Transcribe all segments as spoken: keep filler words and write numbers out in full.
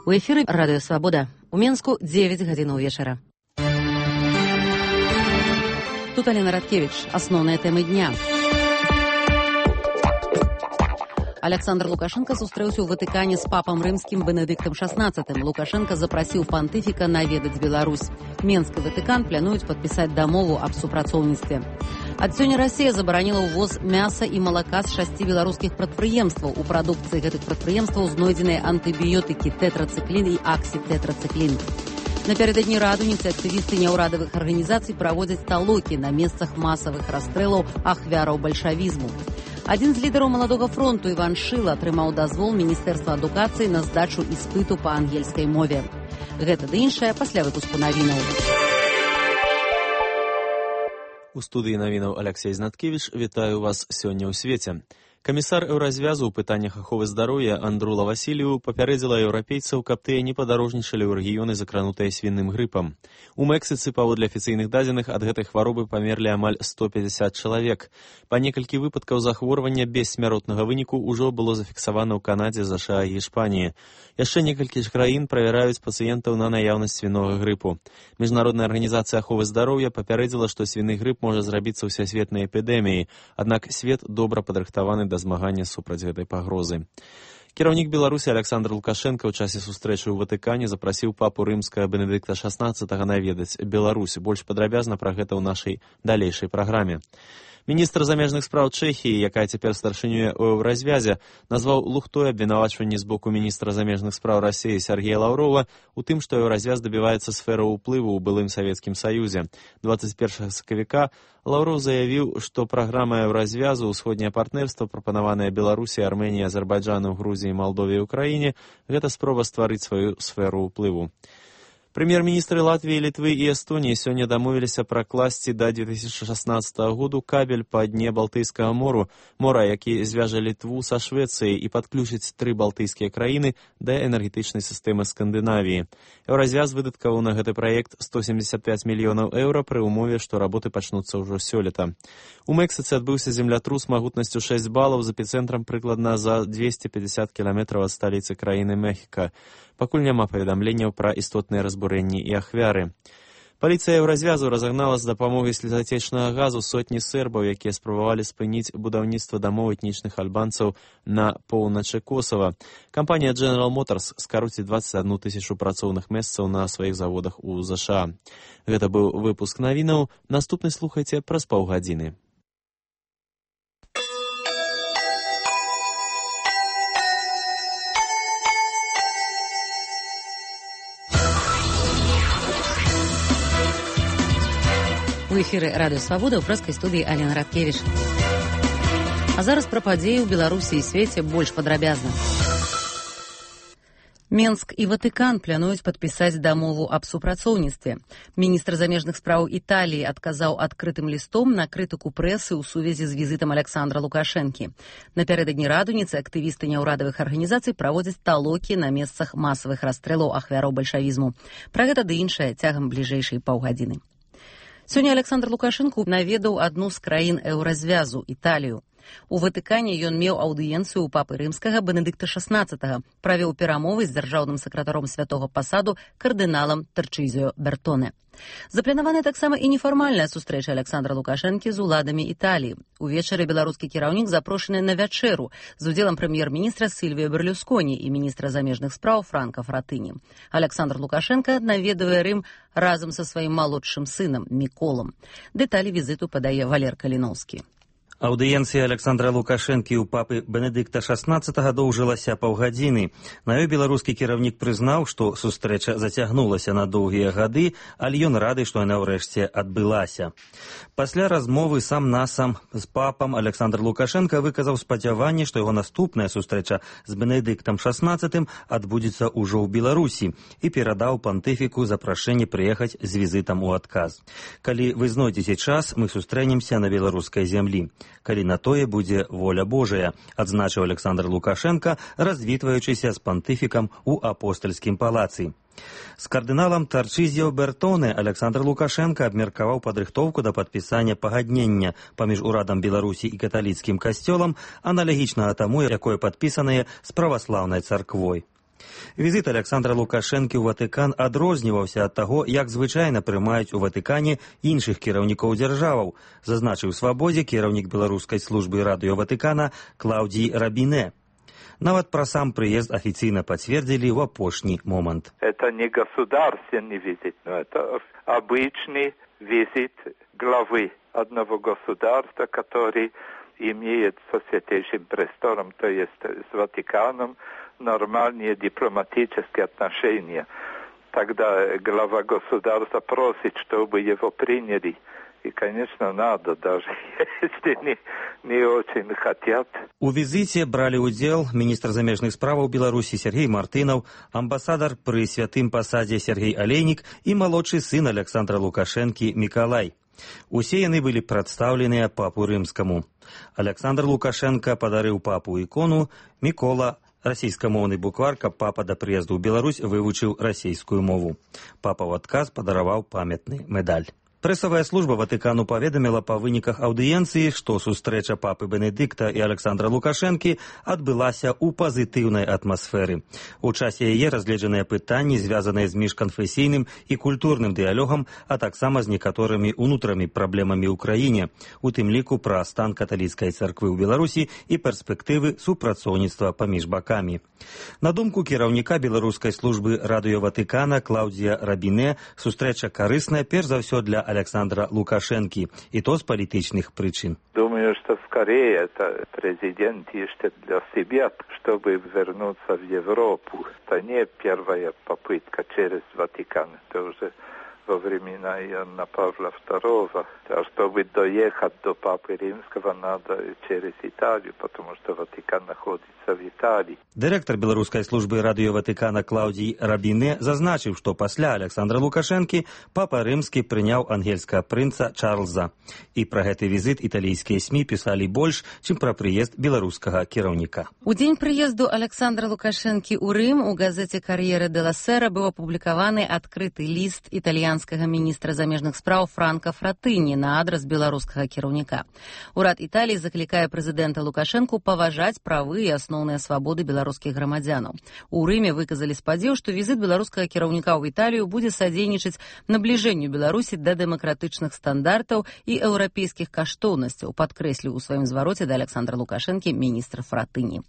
У эфіры Радыё Свабода. У Менску дзевяць гадзінаў вечара. Тут Алена Радкевич. Асноўныя тэмы дня. Александр Лукашенко сустрэўся ў Ватыкане з папам рымскім Бенедыктам шаснаццатым. Лукашенко запрасіў пантыфіка наведаць Беларусь. Менск і Ватыкан плануюць падпісаць дамову аб супрацоўніцтве. Ад сёння Расія забараніла ўвоз мяса і малака з шасці беларускіх прадпрыемстваў. У прадукцыі гэтых прадпрыемстваў знойдзеныя антыбіётыкі тэтрацыклін і аксітэтрацыклін. Напярэдадні радуніцы актывісты няўрадавых арганізацый праводзяць талокі на месцах масавых расстрэлаў ахвяраў бальшавізму. Адзін з лідараў маладога фронту Іван Шыла атрымаў дазвол Міністэрства адукацыі на здачу іспыту па ангельскай мове. Гэта ды іншае пасля выпуску навінаў. У студыі навінаў Алексей Знаткевич. Вітаю вас сёння ў свеце. Камісар Еўразвязу ў пытаннях аховы здароўя Андрула Васілію папярэдзіла еўрапейцаў, каб тыя не падарожнічалі ў рэгіёны, закранутыя свінным грыпам. У Мэксіцы, паводле афіцыйных дадзеных, ад гэтай хваробы памерлі амаль сто пятьдесят чалавек. Па некалькі выпадкаў захворвання без смяротнага выніку ўжо было зафіксавана ў Канадзе, ЗША і Іспаніі. Яшчэ некалькі ж краін правяраюць пацыентаў на наяўнасць свінога грыпу. Міжнародная арганізацыя аховы здароўя папярэдзіла, што свіны грып можа зрабіцца ўсесветнай эпідэміяй, аднак свет добра падрыхтаваны да змагання супраць гэтай пагрозы. Кіраўнік Беларусі Александр Лукашенко ў часе сустрэчы ў Ватыкане запрасіў папу рымскага Бенедыкта шаснаццатага наведаць Беларусь. Больш падрабязна пра гэта ў нашай далейшай праграме. Міністр замежных спраў Чэхіі, якая цяпер старшынюе ў Еўразвязе, назваў лухтой абвінавачванні з боку міністра замежных спраў Расіі Сергея Лаўрова у тым, што Еўразвяз дабіваецца сферы ўплыву ў былым Савецкім Саюзе. дваццаць першага сакавіка Лаўров заявіў, што праграма Еўразвязу, ўсходняе партнерства, прапанаваная Беларусі, Арменіі, Азербайджану, Грузіі, Малдове і Украіне, гэта спроба стварыць сваю сферу ўплыву. Прэм'ер-міністры Латвіі, Літвы і Эстоніі сёння дамовіліся пракласці да две тысячы шаснаццатага году кабель па дне Балтыйскага мору, мора, які звяжа Літву са Швецыяй і падключыць тры балтыйскія краіны да энергетычнай сістэмы Скандынавіі. Еўразвяз выдаткаваў на гэты праект сто семьдесят пять мільёнаў еўра пры ўмове, што работы пачнуцца ўжо сёлета. У Мэксіцы адбыўся землятрус магутнасцю шэсць балаў з эпіцэнтрам прыкладна за двести пятьдесят кіламетраў ад сталіцы краіны Мехіка. Пакуль няма паведамленняў пра істотныя разбурэнні і ахвяры. Паліцыя Еўразвязу разагнала з дапамогай слезатечнага газу сотні сербаў, якія спрабавалі спыніць будаўніцтва дамоў этнічных альбанцаў на поўначы Косава. Кампанія General Motors скаруціць дваццаць адну тысячу працоўных месцаў на сваіх заводах у ЗША. Гэта быў выпуск навінаў. Наступны слухайце праз паўгадзіны. У эфіры Радыё Свабода ў прэскай студыі Алена Радкевич. А зараз пра падзеі ў Беларусі і свеце больш падрабязна. Менск і Ватыкан плануюць падпісаць дамову аб супрацоўніцтве. Міністр замежных спраў Італіі адказаў адкрытым лістом на крытыку прэсы ў сувязі з візітам Александра Лукашэнкі. Напярэдадні радуніцы актывісты няўрадавых арганізацый праводзяць талокі на месцах масавых расстрэлаў ахвяраў бальшавізму. Пра гэта ды іншае цягам бліжэйшай паўгадзіны. Сёння Александр Лукашенко наведаў адну з краін Еўразвязу, Італію. У Ватыкане ён меў аўдыенцыю ў папы рымскага Бенедыкта шаснаццатага, правёў перамовы з дзяржаўным сакратаром святога пасаду кардыналам Тарчызіо Бертоне. Запланаваная таксама і нефармальная сустрэча Александра Лукашэнкі з уладамі Італіі. Увечары беларускі кіраўнік запрошаны на вячэру з удзелам прэм'ер-міністра Сільвіо Берлюсконі і міністра замежных спраў Франка Фратыні. Александр Лукашенко наведвае Рым разам са сваім малодшым сынам Міколам. Дэталі візіту падае Валер Каліноўскі. Аўдыенцыя Александра Лукашэнкі ў папы Бенедыкта шаснаццатага доўжылася паўгадзіны. На ёй беларускі кіраўнік прызнаў, што сустрэча зацягнулася на доўгія гады, але ён рады, што яна ўрэшце адбылася. Пасля размовы сам-насам з папам Александр Лукашенко выказаў спадзяванне, што яго наступная сустрэча з Бенедыктам шаснаццатым адбудзецца ўжо ў Беларусі і перадаў пантыфіку запрашэнне прыехаць з візітам у адказ. Калі вы знойдзеце час, мы сустрэнемся на беларускай зямлі. Калі на тое будзе воля Божая, адзначыў Александр Лукашенко, развітваючыся з пантыфікам у апостальскім палацы. З кардыналам Тарчызіо Бертоне Александр Лукашенко абмеркаваў падрыхтоўку да падпісання пагаднення паміж урадам Беларусі і каталіцкім касцёлам, аналагічнага таму, якое падпісанае з праваслаўнай царквой. Візит Александра Лукашэнкі ў Ватыкан адрозніваўся ад таго, як звычайна прымаюць у Ватыкане іншых кіраўнікоў дзяржаваў, зазначыў Свабодзе кіраўнік беларускай службы радыё Ватыкана Клаўдзій Рабінэ. Нават пра сам прыезд афіцыйна пацвердзілі ў апошні момант. Это не государственный визит, но это обычный визит главы одного государства, который имеет со Святейшим Престолом, то есть с Ватиканом, нормальные дипломатические отношения. Тогда глава государства просит, чтобы его приняли. И, конечно, надо, даже если не, не очень хотят. У візіце бралі ўдзел міністр замежных справаў Беларусі Сергей Мартынаў, амбасадар пры святым пасадзе Сергей Алейнік і малодшы сын Александра Лукашэнкі Мікалай. Усе яны былі прадстаўленыя папу рымскаму. Александр Лукашенко падарыў папу ікону, Мікола расійскамоўны буквар, каб папа да прыезду ў Беларусь вывучыў расійскую мову. Папа ў адказ падараваў памятны медаль. Прэсавая служба Ватыкану паведаміла па выніках аўдыенцыі, што сустрэча папы Бенедыкта і Александра Лукашэнкі адбылася ў пазітыўнай атмасферы. У часе яе разгледжаныя пытанні, звязаныя з міжканфесійным і культурным дыялогам, а таксама з некаторымі ўнутрамі праблемамі ў краіне, у тым ліку пра стан каталіцкай царквы ў Беларусі і перспектывы супрацоўніцтва паміж бакамі. На думку кіраўніка беларускай службы радыё Ватыкана Клаўдзія Рабінэ, сустрэча карысная перш за ўсё для Александра Лукашенки, и то с политических причин. Думаю, что скорее это президент ищет для себя, чтобы вернуться в Европу. Это не первая попытка через Ватикан, это уже во времена Иоанна Павла второго. А чтобы доехать до Папы Римского, надо через Италию, потому что Ватикан находится в Италии. Директор белорусской службы радио Ватикана Клаўдзій Рабінэ зазначыў, што пасля Александра Лукашэнкі Папа Рымскі прыняў ангельскага прынца Чарльза. І пра гэты візіт італійскія СМІ пісалі больш, чым пра прыезд беларускага кіраўніка. У дзень прыезду Александра Лукашэнкі ў Рым у газеце «Кар'ера де ла Сера» быў апублікаваны адкрыты ліст італьянскага міністра замежных спраў Франка Фратыні на адрас беларускага кіраўніка. Урад Італіі заклікае прэзідэнта Лукашэнку паважаць правы і асноўныя свабоды беларускіх грамадзянаў. У Рыме выказалі спадзеў, што візіт беларускага кіраўніка ў Італію будзе садзейнічаць набліжэнню Беларусі да дэмакратычных стандартаў і еўрапейскіх каштоўнасцяў, падкрэсліў у сваім звароце да Александра Лукашэнкі міністр Фратыні.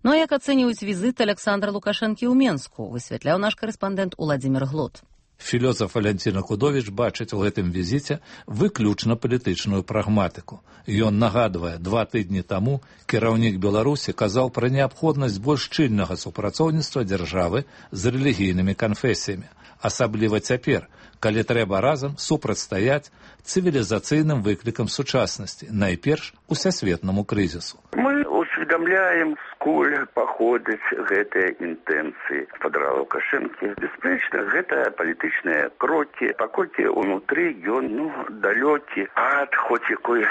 Ну а як ацэньваюць візіт Александра Лукашэнкі ў Менску, высвятляў наш карэспандэнт Уладзімір Глот. Філёзаф Валянціна Кудовіч бачыць у гэтым візіце выключна палітычную прагматыку. Ён нагадвае, два тыдні таму кіраўнік Беларусі казаў пра неабходнасць больш шчыльнага супрацоўніцтва дзяржавы з рэлігійнымі канфесіямі. Асабліва цяпер, калі трэба разам супрацьстаяць цывілізацыйным выклікам сучаснасці, найперш усесветнаму крызісу. Мы усведомляем, сколь паходзяць гэтыя інтэнцыі гаспадара Лукашэнкі. Бясспрэчна, гэта палітычныя крокі, паколькі ўнутры ён ну, далёкі ад хоць якой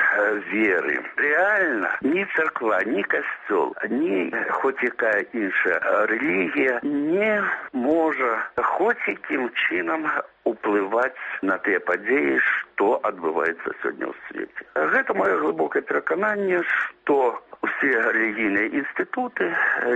веры. Рэальна, ні царква, ні касцёл, ні хоць якая іншая рэлігія не можа хоць якім чынам уплываць на тыя падзеі, што адбываецца сёння ў свеце. Гэта маё глыбокае перакананне, што усе рэлігійныя інстытуты,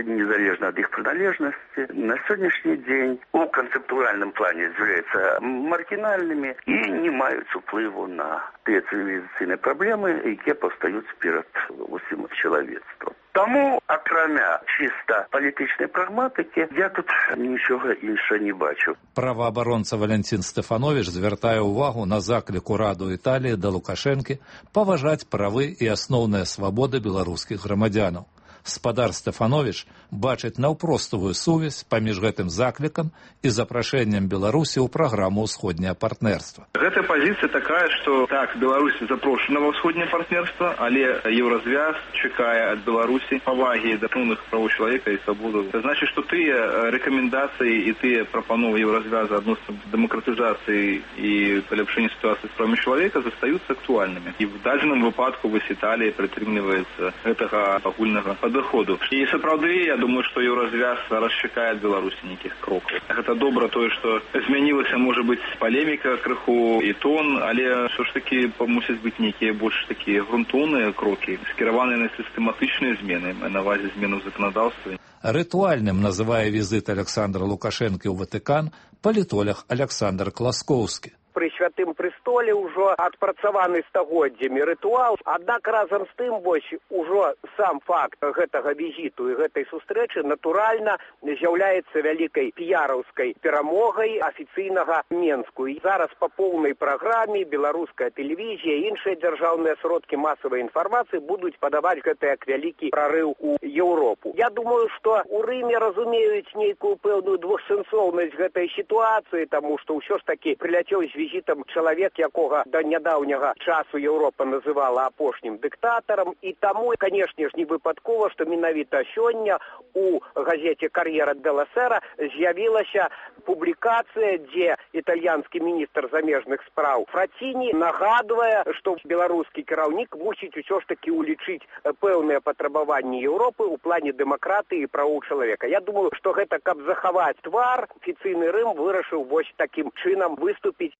незалежна ад іх прыналежнасці, на сённяшні дзень у канцэптуальным плане з'яўляюцца маргінальнымі і не маюць уплыву на тыя цывілізацыйныя праблемы, якія паўстаюць перад усім чалавецтвам. Таму, акрамя чыста палітычнай прагматыкі, я тут нічога іншага не бачу. Праваабаронца Валянцін Стэфановіч звяртае ўвагу на заклік ураду Італіі да Лукашэнкі паважаць правы і асноўныя свабоды беларускіх грамадзянаў. Спадар Стэфановіч бачыць наўпростовую сувязь паміж гэтым заклікам і запрашэннем Беларусі ў праграму ўсходняе партнерства. Гэта пазіцыя такая, што так, Беларусь запрошана ва ўсходняе партнерства, але Еўразвяз чакае ад Беларусі павагі да асноўных правоў чалавека і свабоду. Це значыць, што тыя рэкамендацыі і тыя прапановы Еўразвяза адносна дэмакратызацыі і паляпшэння сітуацыі з правамі чалавека застаюцца актуальнымі. І в дадзеным выпадку вось Італія прытрымліваецца гэтага агульнага падыходу доходу. І сапраўды, я думаю, што еўразвяз зараз чакае ад Беларусі нейкіх крокаў. Гэта добра тое, што змянілася, можа быць, палеміка крыху і тон, але ўсё ж такі мусяць быць нейкія больш такія грунтоўныя крокі, скіраваныя на сістэматычныя змены, на базе зменаў заканадаўства. Рытуальным называе візит Александра Лукашэнкі ў Ватыкан палітолог Александр Класкоўскі. Пры святым престоле ўжо адпрацаваны стагоддзямі рытуал, аднак разам з тым вось ужо сам факт гэтага візіту і гэтай сустрэчы натуральна з'яўляецца вялікай піяраўскай перамогай афіцыйнага Менску. І зараз па поўнай праграме беларуская тэлевізія і іншыя дзяржаўныя сродкі масавай інфармацыі будуць падаваць гэта як вялікі прарыў у Еўропу. Я думаю, што у Рыме разумеюць нейкую пэўную двухсэнсоўнасць гэтай сітуацыі, таму што ўсё ж такі прыляцеў з візітам чалавек, якога да нядаўняга часу Еўропа называла апошнім дыктатарам, і таму, канешне ж, не выпадкова, што менавіта сёння у газеце «Кар'ера делла Сера» з'явілася публікацыя, дзе італьянскі міністр замежных спраў Фраціні нагадвае, што беларускі кіраўнік мусіць усё ж такі улічыць пэўныя патрабаванні Еўропы ў плане дэмакратыі і правоў чалавека. Я думаю, што гэта, каб захаваць твар, афіцыйны Рым вырашыў вось такім чынам выступіць.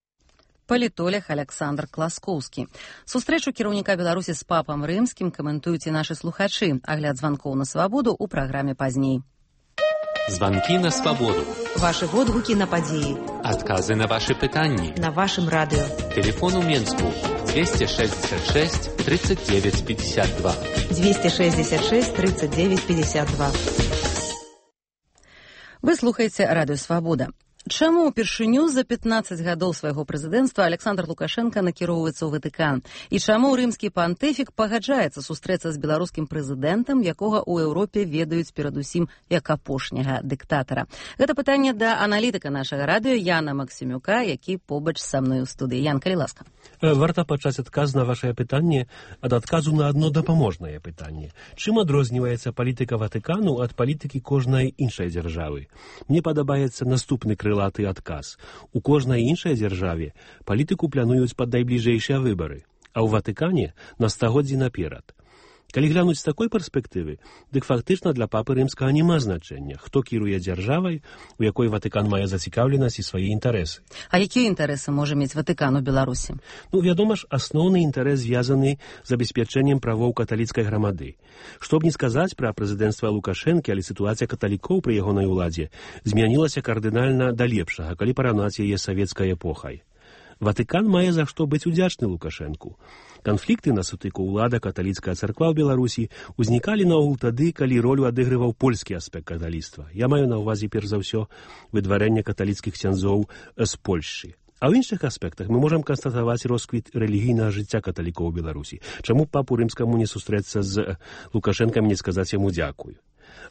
Палітолог Александр Класкоўскі. Сустрэчу кіраўніка Беларусі з папам рымскім каментуюць і нашы слухачы. Агляд званкоў на свабоду ў праграме пазней. Званкі на свабоду. Вашы водгукі на падзеі. Адказы на вашы пытанні. На вашым радыо. Телефон у Менску двести шестьдесят шесть тридцать девять пятьдесят два. двести шестьдесят шесть тридцать девять пятьдесят два. Вы слухаеце радыё «Свабода». Чаму ўпершыню за пятнаццаць гадоў свайго прэзідэнцтва Александр Лукашенко накіроўваецца ў Ватыкан? І чаму рымскі пантыфік пагаджаецца сустрэцца з беларускім прэзідэнтам, якога ў Еўропе ведаюць перадусім як апошняга дыктатара? Гэта пытанне да аналітыка нашага радыё Яна Максімюка, які побач са мной у студыі. Ян, калі ласка. Варта пачаць адказ на вашае пытанне ад адказу на адно дапаможнае пытанне. Чым адрозніваецца палітыка Ватыкану ад палітыкі кожнай іншай дзяржавы? Мне падабаецца наступны крылаты адказ. У кожнай іншай дзяржаве палітыку плануюць пад найбліжэйшыя выбары, а ў Ватыкане на стагоддзі наперад. Калі глянуць з такой перспектывы, дык фактычна для папы рымскага няма значэння, хто кіруе дзяржавай, у якой Ватыкан мае зацікаўленасць і свае інтарэсы. А якія інтарэсы можа мець Ватыкан у Беларусі? Ну, вядома ж, асноўны інтарэс звязаны з забеспячэннем правоў каталіцкай грамады. Што б не сказаць пра прэзідэнцтва Лукашэнкі, але сітуацыя каталікоў пры ягонай уладзе змянілася кардынальна да лепшага, калі параўнаць яе з савецкай эпохай. Ватыкан мае за што быць удзячны Лукашэнку. Канфлікты на сутыку ўлада каталіцкая царква ў Беларусі ўзнікалі наогул тады, калі ролю адыгрываў польскі аспект каталіцтва. Я маю на ўвазе перш за ўсё выдварэнне каталіцкіх ксяндзоў з Польшчы. А ў іншых аспектах мы можам канстатаваць росквіт рэлігійнага жыцця каталікоў у Беларусі. Чаму папу рымскаму не сустрэцца з Лукашэнкам, не сказаць яму дзякую?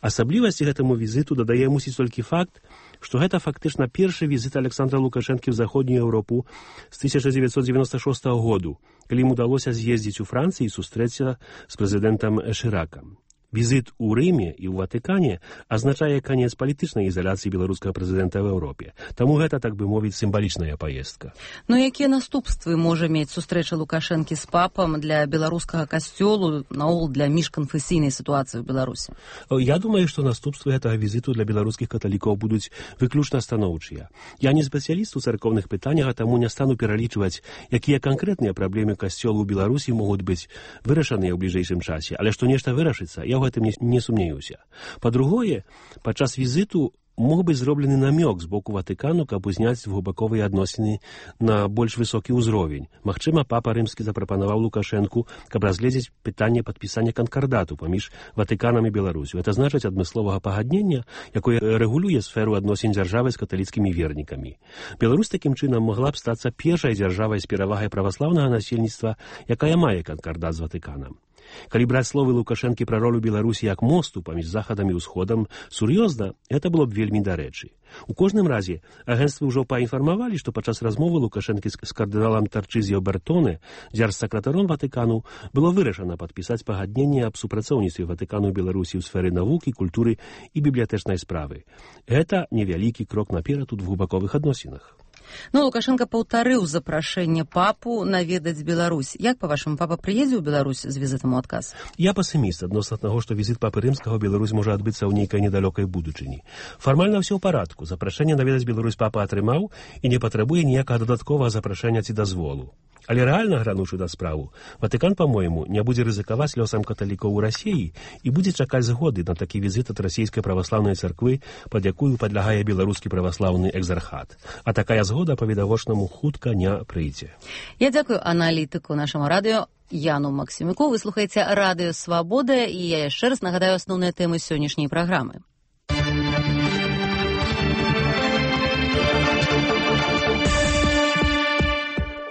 Асаблівасці гэтаму візіту дадае мусіць толькі факт, што гэта фактычна першы візіт Александра Лукашэнкі ў заходнюю Еўропу з тысяча дзевяцьсот дзевяноста шостага году, калі ім удалося з'ездзіць у Францыі і сустрэцца з прэзідэнтам Шыракам. Візіт у Рыме і ў Ватыкане азначае канец палітычнай ізаляцыі беларускага прэзідэнта ў Еўропе. Таму гэта, так бы мовіць, сімвалічная паездка. Ну, якія наступствы можа мець сустрэча Лукашэнкі з папам для беларускага касцёлу, наогул для міжканфесійнай сітуацыі ў Беларусі? Я думаю, што наступствы гэтага візіту для беларускіх каталікоў будуць выключна станоўчыя. Я не спецыяліст у царкоўных пытаннях, а таму не стану пералічваць, якія канкрэтныя праблемы касцёлу ў Беларусі могуць быць вырашаныя ў бліжэйшым часе, але што нешта вырашыцца, я ў гэтым не, не сумнеюся. Па-другое, падчас візіту мог быць зроблены намёк з боку Ватыкану, каб узняць двухбаковыя адносіны на больш высокі ўзровень. Магчыма, папа рымскі запрапанаваў Лукашэнку, каб разгледзець пытанне падпісання канкардату паміж Ватыканам і Беларусю. Это значыць адмысловага пагаднення, якое рэгулюе сферу адносін дзяржавы з каталіцкімі вернікамі. Беларусь такім чынам могла б стацца першай дзяржавай з перавагай праваслаўнага насельніцтва, якая мае канкардат з Ватыканам. Калі браць словы Лукашэнкі пра ролю Беларусі як мосту паміж захадам і ўсходам, сур'ёзна, гэта было б вельмі дарэчы. У кожным разе, агенцтвы ўжо паінфармавалі, што падчас размовы Лукашэнкі з кардыналам Тарчызіо Бертоне, дзяржсакратаром Ватыкану, было вырашана падпісаць пагадненне аб супрацоўніцтве Ватыкану і Беларусі ў сферы навукі, культуры і бібліятэчнай справы. Гэта невялікі крок наперад у двухбаковых адносінах. Ну, Лукашенко паўтарыў запрашэнне папу наведаць Беларусь. Як, па-вашаму, папа прыедзе ў Беларусь з візітам у адказ? Я пасіміст адносна таго, што візіт папы рымскага ў Беларусь можа адбыцца ў нейкай недалёкай будучыні. Фармальна ўсё ў парадку. Запрашэнне наведаць Беларусь папа атрымаў і не патрабуе ніякага дадатковага запрашэння ці дазволу. Але рэальна грануўшы да справу, Ватыкан, па-мойму, не будзе рызыкаваць лёсам каталікоў у Расіі і будзе чакаць згоды на такі візіт ад расійскай праваслаўнай царквы, пад якую падлягае беларускі праваслаўны экзархат. А такая згода, па-відавочнаму, хутка не прыйдзе. Я дзякую аналітыку нашаму радыё Яну Максімюку. Вы слухаеце радыё «Свабода», і я яшчэ раз нагадаю асноўныя тэмы сённяшняй праграмы.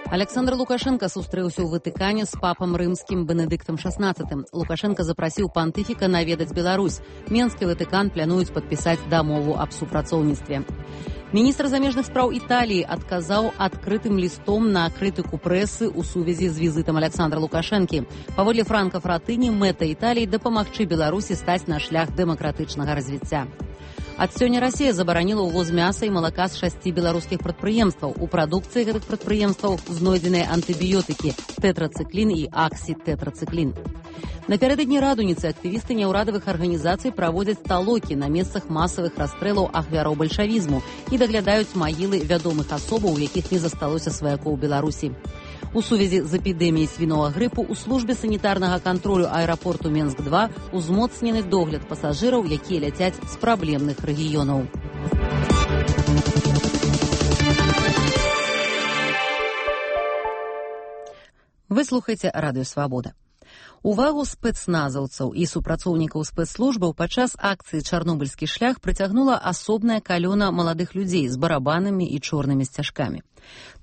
Александр Лукашенко сустрэўся ў Ватыкане з папам рымскім Бенедыктам шаснаццатым. Лукашенко запрасіў пантыфіка наведаць Беларусь. Менск і Ватыкан плануюць падпісаць дамову аб супрацоўніцтве. Міністр замежных спраў Італіі адказаў адкрытым лістом на крытыку прэсы ў сувязі з візітам Александра Лукашэнкі. Паводле Франка Фратыні, мэта Італіі дапамагчы Беларусі стаць на шлях дэмакратычнага развіцця. Ад сёння Расія забараніла ўвоз мяса і малака з шасці беларускіх прадпрыемстваў. У прадукцыі гэтых прадпрыемстваў знойдзеныя антыбіётыкі тэтрацыклін і аксітэтрацыклін. Напярэдадні радуніцы актывісты няўрадавых арганізацый праводзяць талокі на месцах масавых расстрэлаў ахвяраў бальшавізму і даглядаюць магілы вядомых асобаў, у якіх не засталося сваякоў Беларусі. У сувязі з эпідэміяй свінога грыпу ў службе санітарнага кантролю аэрапорту Менск два узмоцнены догляд пасажыраў, якія ляцяць з праблемных рэгіёнаў. Вы слухаеце радыё «Свабода». Увагу спецназаўцаў і супрацоўнікаў спецслужбаў падчас акцыі «Чарнобыльскі шлях» прыцягнула асобная калёна маладых людзей з барабанамі і чорнымі сцяжкамі.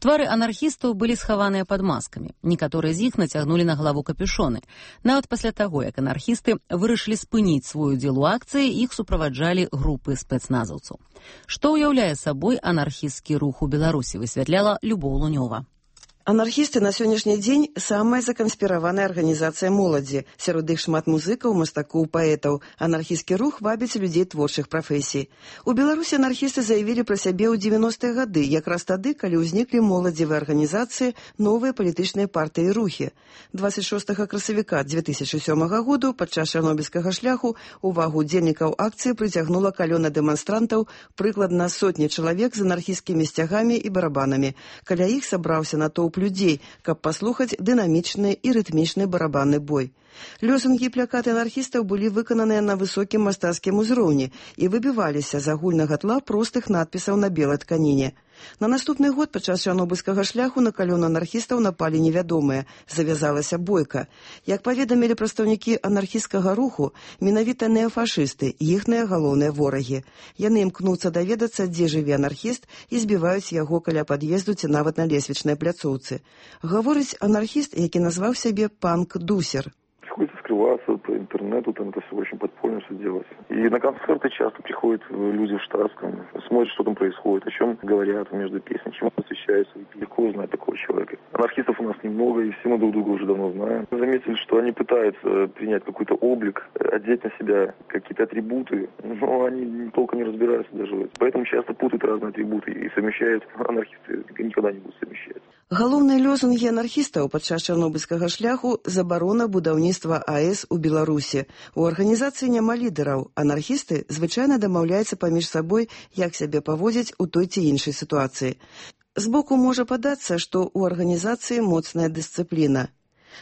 Твары анархістаў былі схаваныя пад маскамі. Некаторыя з іх нацягнулі на галаву капюшоны. Нават пасля таго, як анархісты вырашылі спыніць свой удзел у акцыі, іх суправаджалі групы спецназаўцаў. Што ўяўляе сабой анархісцкі рух у Беларусі, высвятляла Любоў Лунёва. Анархісты на сённяшні дзень самая заканспіраваная арганізацыя моладзі. Сярод іх шмат музыкаў, мастакоў, паэтаў. Анархісцкі рух вабіць людзей творчых прафесій. У Беларусі анархісты заявілі пра сябе ў дзевяностыя гады, якраз тады, калі ўзніклі моладзевыя арганізацыі, новыя палітычныя партыі і рухі. дваццаць шостага красавіка дзве тысячы сёмага году падчас чарнобыльскага шляху увагу удзельнікаў акцыі прыцягнула калёна дэманстрантаў, прыкладна сотні чалавек з анархісцкімі сцягамі і барабанамі. Каля іх сабраўся натоўп людзей, каб паслухаць дынамічны і рытмічны барабанны бой. Лёсунгі і плакаты анархістаў былі выкананыя на высокім мастацкім узроўні і выбіваліся з агульнага тла простых надпісаў на белай тканіне. На наступны год падчас чарнобыльскага шляху на калёну анархістаў напалі невядомыя. Завязалася бойка. Як паведамілі прадстаўнікі анархісцкага руху, менавіта неафашысты, іхныя галоўныя ворагі. Яны імкнуцца даведацца, дзе жыве анархіст, і збіваюць яго каля пад'езду ці нават на лесвічнай пляцоўцы. Гаворыць анархіст, які назваў сябе панк-дусер. Приходится скрываться по интернету, там это все очень подпольно все делать. И на концерты часто приходят люди в штатском, смотрят, что там происходит, о чем говорят между песнями, чем посвящаются. Легко узнать такого человека. Анархистов у нас немного, и все мы друг друга уже давно знаем. Мы заметили, что они пытаются принять какой-то облик, одеть на себя какие-то атрибуты, но они толком не разбираются даже в этом. Поэтому часто путают разные атрибуты и совмещают. Анархисты никогда не будут совмещать. Галоўныя лозунгі анархістаў падчас чарнобыльскага шляху – забарона будаўніцтва АЭС у Беларусі. У арганізацыі няма лідараў. Анархісты звычайна дамаўляюцца паміж сабой, як сябе паводзіць у той ці іншай сітуацыі. Збоку можа падацца, што ў арганізацыі моцная дысцыпліна.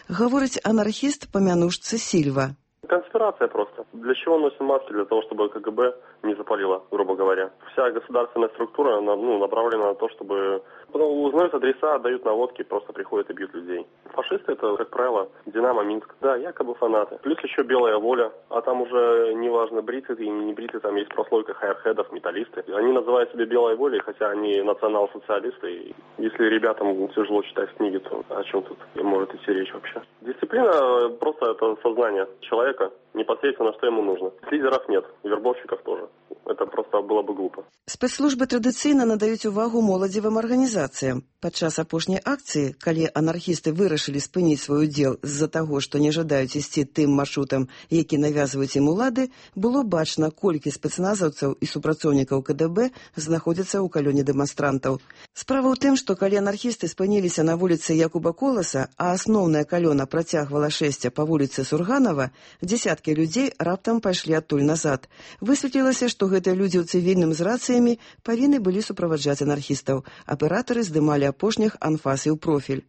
Гаворыць анархіст па мянушцы Сильва. Конспирация просто. Для чего носим маски? Для того, чтобы КГБ не запалило, грубо говоря. Вся государственная структура ну, направлена на то, чтобы... Потом узнают адреса, отдают наводки, просто приходят и бьют людей. Фашисты это, как правило, Динамо, Минск. Да, якобы фанаты. Плюс еще Белая воля. А там уже неважно, бриты ты или не бриты, там есть прослойка хайрхедов, металлисты. Они называют себя Белой волей, хотя они национал-социалисты. И если ребятам тяжело читать книги, то о чем тут может идти речь вообще? Дисциплина просто это сознание человека, непосредственно, что ему нужно. Лидеров нет, вербовщиков тоже. Это просто было бы глупо. Спецслужбы традыцыйна надаюць увагу моладзевым арганізацыям. Падчас апошняй акцыі, калі анархісты вырашылі спыніць свой удзел з-за таго, што не жадаюць ісці тым маршрутам, які навязваюць ім улады, было бачна, колькі спецназаўцаў і супрацоўнікаў ка дэ бэ знаходзяцца ў калёне дэманстрантаў. Справа ў тым, што калі анархісты спыніліся на вуліцы Якуба Коласа, а асноўная калёна працягвала шэсце па вуліцы Сурганова, дзесяткі людзей раптам пайшлі адтуль назад. Высветлілася, што гэтыя людзі ў цывільным з рацыямі павінны былі суправаджаць анархістаў. Аператары здымалі апошніх анфас і ў профіль.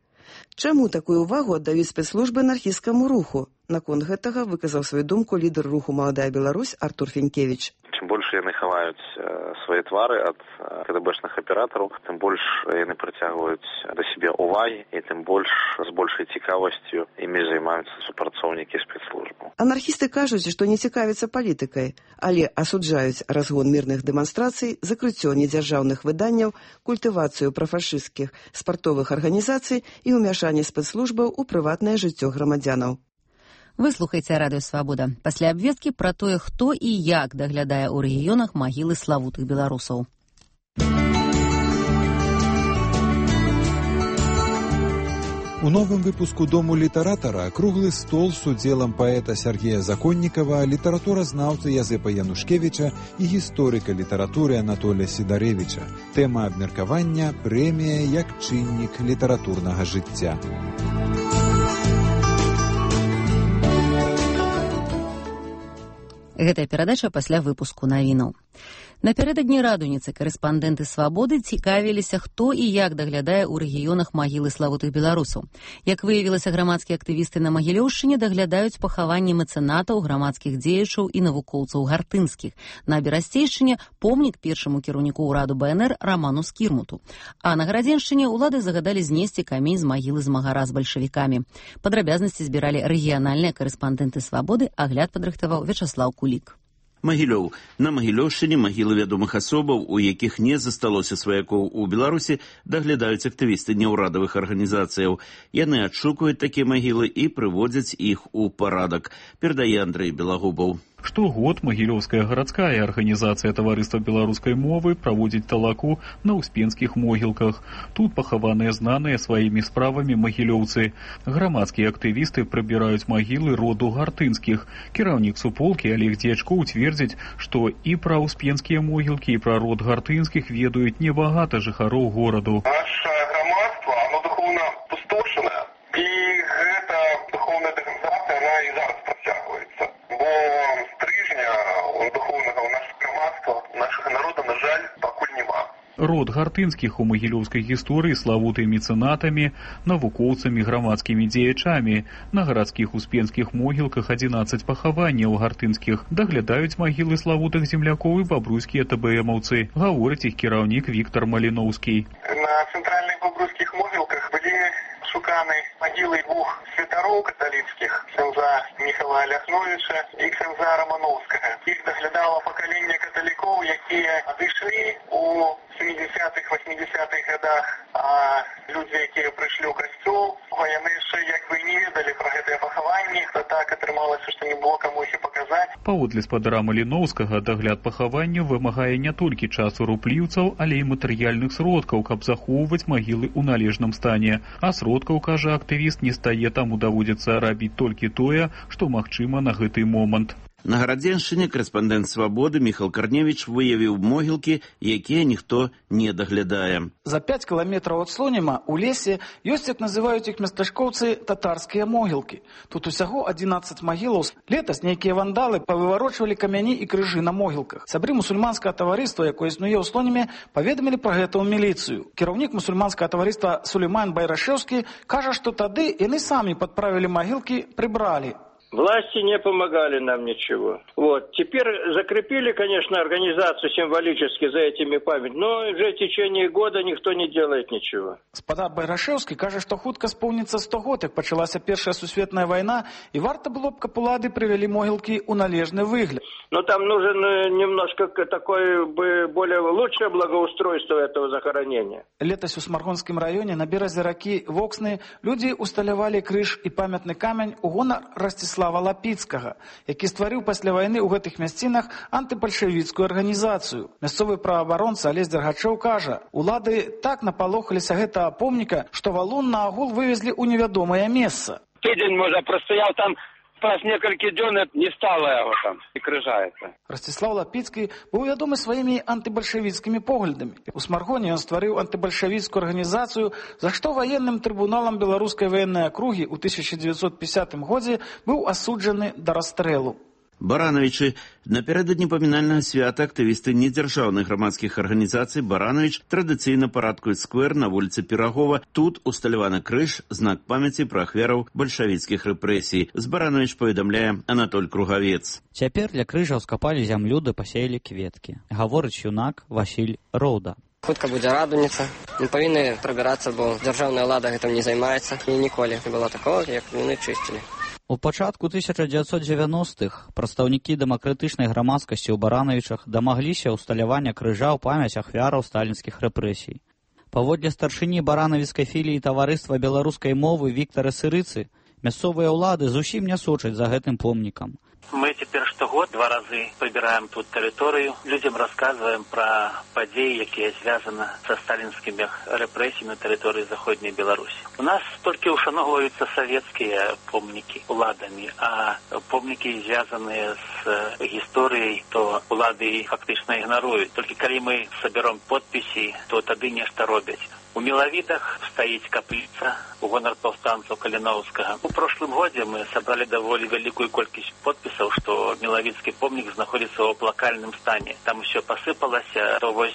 Чаму такую ўвагу аддаюць спецслужбы анархісцкаму руху? Наконт гэтага выказаў сваю думку лідар руху «Маладая Беларусь» Артур Фінкевіч. Чым больш яны хаваюць свае твары ад ка дэ бэшных аператараў, тым больш яны прыцягваюць да сябе ўвагі і тым больш з большай цікавасцю імі займаюцца супрацоўнікі спецслужбаў. Анархісты кажуць, што не цікавяцца палітыкай, але асуджаюць разгон мірных дэманстрацый, закрыццё недзяржаўных выданняў, культывацыю прафашысцкіх спартовых арганізацый і ўмяшанне спецслужбаў у прыватнае жыццё грамадзянаў. Вы слухаеце Радыё Свабода. Пасля абвесткі пра тое, хто і як даглядае ў рэгіёнах магілы славутых беларусаў. У новым выпуску «Дому літаратара» круглы стол з удзелам паэта Сергея Законнікава, літаратуразнаўцы Язэпа Янушкевіча і гісторыка літаратуры Анатолія Сідарэвіча. Тэма абмеркавання – прэмія як чыннік літаратурнага жыцця. Гэтая перадача пасля выпуску навінаў. Напярэдадні радуніцы карэспандэнты «Свабоды» цікавіліся, хто і як даглядае ў рэгіёнах магілы славутых беларусаў. Як выявілася, грамадскія актывісты на Магілёўшчыне даглядаюць пахаванні мэцэнатаў, грамадскіх дзеячаў і навукоўцаў гартынскіх. На Берасцейшчыне помнік першаму кіраўніку ўраду бэ эн эр Раману Скірмуту. А на Гарадзеншчыне ўлады загадалі знесці камень з магілы змагара з бальшавікамі. Падрабязнасці збіралі рэгіянальныя карэспандэнты «Свабоды», агляд падрыхтаваў Вячаслаў Кулік. Магілёў. На Магілёўшчыне магілы вядомых асобаў, у якіх не засталося сваякоў у Беларусі, даглядаюць актывісты неўрадавых арганізацыяў. Яны адшукаюць такія магілы і прыводзяць іх у парадак. Перадае Андрэй Белагубаў. Штогод Магілёўская гарадская арганізацыя таварыства беларускай мовы праводзіць талаку на ўспенскіх могілках. Тут пахаваныя знаныя сваімі справамі магілёўцы. Грамадскія актывісты прыбіраюць магілы роду гартынскіх. Кіраўнік суполкі Олег Дзечкоў цвердзіць, што і пра ўспенскія могілкі, і пра род гартынскіх ведаюць небагата жыхароў гораду. Наша грамадства, оно духовна пустошана, і гэта духовная дэградацыя, она і зараз працягваецца. Бо стрыжня духовнага ў нашых грамадства, нашага народа, на жаль, пакуль няма. Род гартынскіх у магілёўскай гісторыі славуты мецэнатамі, навукоўцамі, грамадскімі дзеячамі. На гарадскіх успенскіх могілках адзінаццаць пахаванняў гартынскіх. Даглядаюць магілы славутых землякоў і бабруйскія тэ бэ эмаўцы. Гаворыць іх кіраўнік Віктар Маліноўскі. На цэнтральных бабруйскіх могілках былі шуканы магілы двух святароў каталіцкіх, ксяндза Міхала Ляхновіча і ксяндза Рамановскага. Іх даглядала пакаленне каталікоў, якія адышлі у сямідзясятых восьмідзясятых годах, а людзі, якія прыйшлі ў касцёл, яны яшчэ як бы не ведалі пра гэтыя пахаванні, то так атрымалася, што не было каму іх і паказаць. Паводле спадара Маліноўскага, дагляд пахаванняў вымагае не толькі часу рупліўцаў, але і матэрыяльных сродкаў, каб захоўваць магілы ў належным стане. А сродкаў, кажа актывіст, не стае, таму даводзіцца рабіць толькі тое, што магчыма на гэты момант. На Гарадзеншчыне карэспандэнт «Свабоды» Міхал Карневіч выявіў могілкі, якія ніхто не даглядае. За пять кіламетраў ад Слоніма у лесе ёсць, як называюць іх местачкоўцы, татарскія могілкі. Тут усяго адзінаццаць магілаў. Летась нейкія вандалы павыварочвалі камяні і крыжы на могілках. Сябры мусульманскага таварыства, якое існуе ў Слоніме, паведамілі пра гэта ў міліцыю. Кіраўнік мусульманскага таварыства Сулейман Байрашэўскі кажа, што тады яны самі падправілі магілкі, прыбралі. Власти не помогали нам ничего. Вот. Теперь закрепили, конечно, организацию символически за этими памятниками, но уже в течение года никто не делает ничего. Спадар Байрашэўскі кажа, што хутка споўніцца сто год, як пачалася Першая сусветная вайна, і варта было б, каб улады прывялі могілкі ў належны выгляд. Но там нужен немножко такое бы более лучшее благоустройство этого захоронения. Летась у Смаргонскім раёне на беразе ракі Воксны людзі усталявалі крыж і памятны камень у гонар Ростислава Ростислава Лапіцкага, які стварыў пасля вайны ў гэтых мясцінах антыбальшавіцкую арганізацыю. Мясцовы праабаронца Алесь Дергачоў кажа, улады так напалохаліся гэтага помніка, што валун на агул вывезлі ў невядомае месца. Тыдзень, можа, прастаяў там праз некалькі дзён, не стала яго там і крыжаецца. Ростислав Лапіцкі быў вядомы сваімі антыбальшавіцкімі поглядамі. У Смаргоне ён стварыў антыбальшавіцкую арганізацыю, за што ваенным трыбуналам беларускай ваеннай акругі ў тысяча дзевяцьсот пятидесятым годзе быў асуджаны да расстрэлу. Барановичы. Напярэдадні памінальнага свята актывісты недзяржаўных грамадскіх арганізацый Баранович традыцыйна парадкуюць сквер на вуліцы Пірагова. Тут усталяваны крыж, знак памяці пра ахвяраў бальшавіцкіх рэпрэсій. З Баранович паведамляе Анатоль Кругавец. Цяпер для крыжаў скапалі зямлю ды пасеялі кветкі. Гаворыць юнак Васіль Роўда. Хутка будзе радуніца. Не павінны прабірацца, бо дзяржаўная ўлада гэтым не займаецца. І ніколі не было такого, як яны чысцілі. У пачатку тысяча дзевяцьсот дзевяностых прадстаўнікі дэмакратычнай грамадскасці ў Барановічах дамагліся ўсталявання крыжа ў памяць ахвяраў сталінскіх рэпрэсій. Паводле старшыні баранавіцкай філіі таварыства беларускай мовы Віктара Сырыцы, мясцовыя ўлады зусім не сочаць за гэтым помнікам. Мы теперь штогод два разы побираем тут территорию, людям рассказываем про подеи, якія связаны со сталинскими репрессиями на территории Заходней Беларуси. У нас только ушановываются советские помники уладами, а помники, связанные с историей, то улады фактично игноруют. Только когда мы соберем подписи, то тады нечто робят. У Миловидах стоит каплица у гонор повстанцев Калиновского. В прошлом году мы собрали довольно великую колькость подписов, что Миловидский помник находится в оплакальном стане. Там все посыпалось, то вот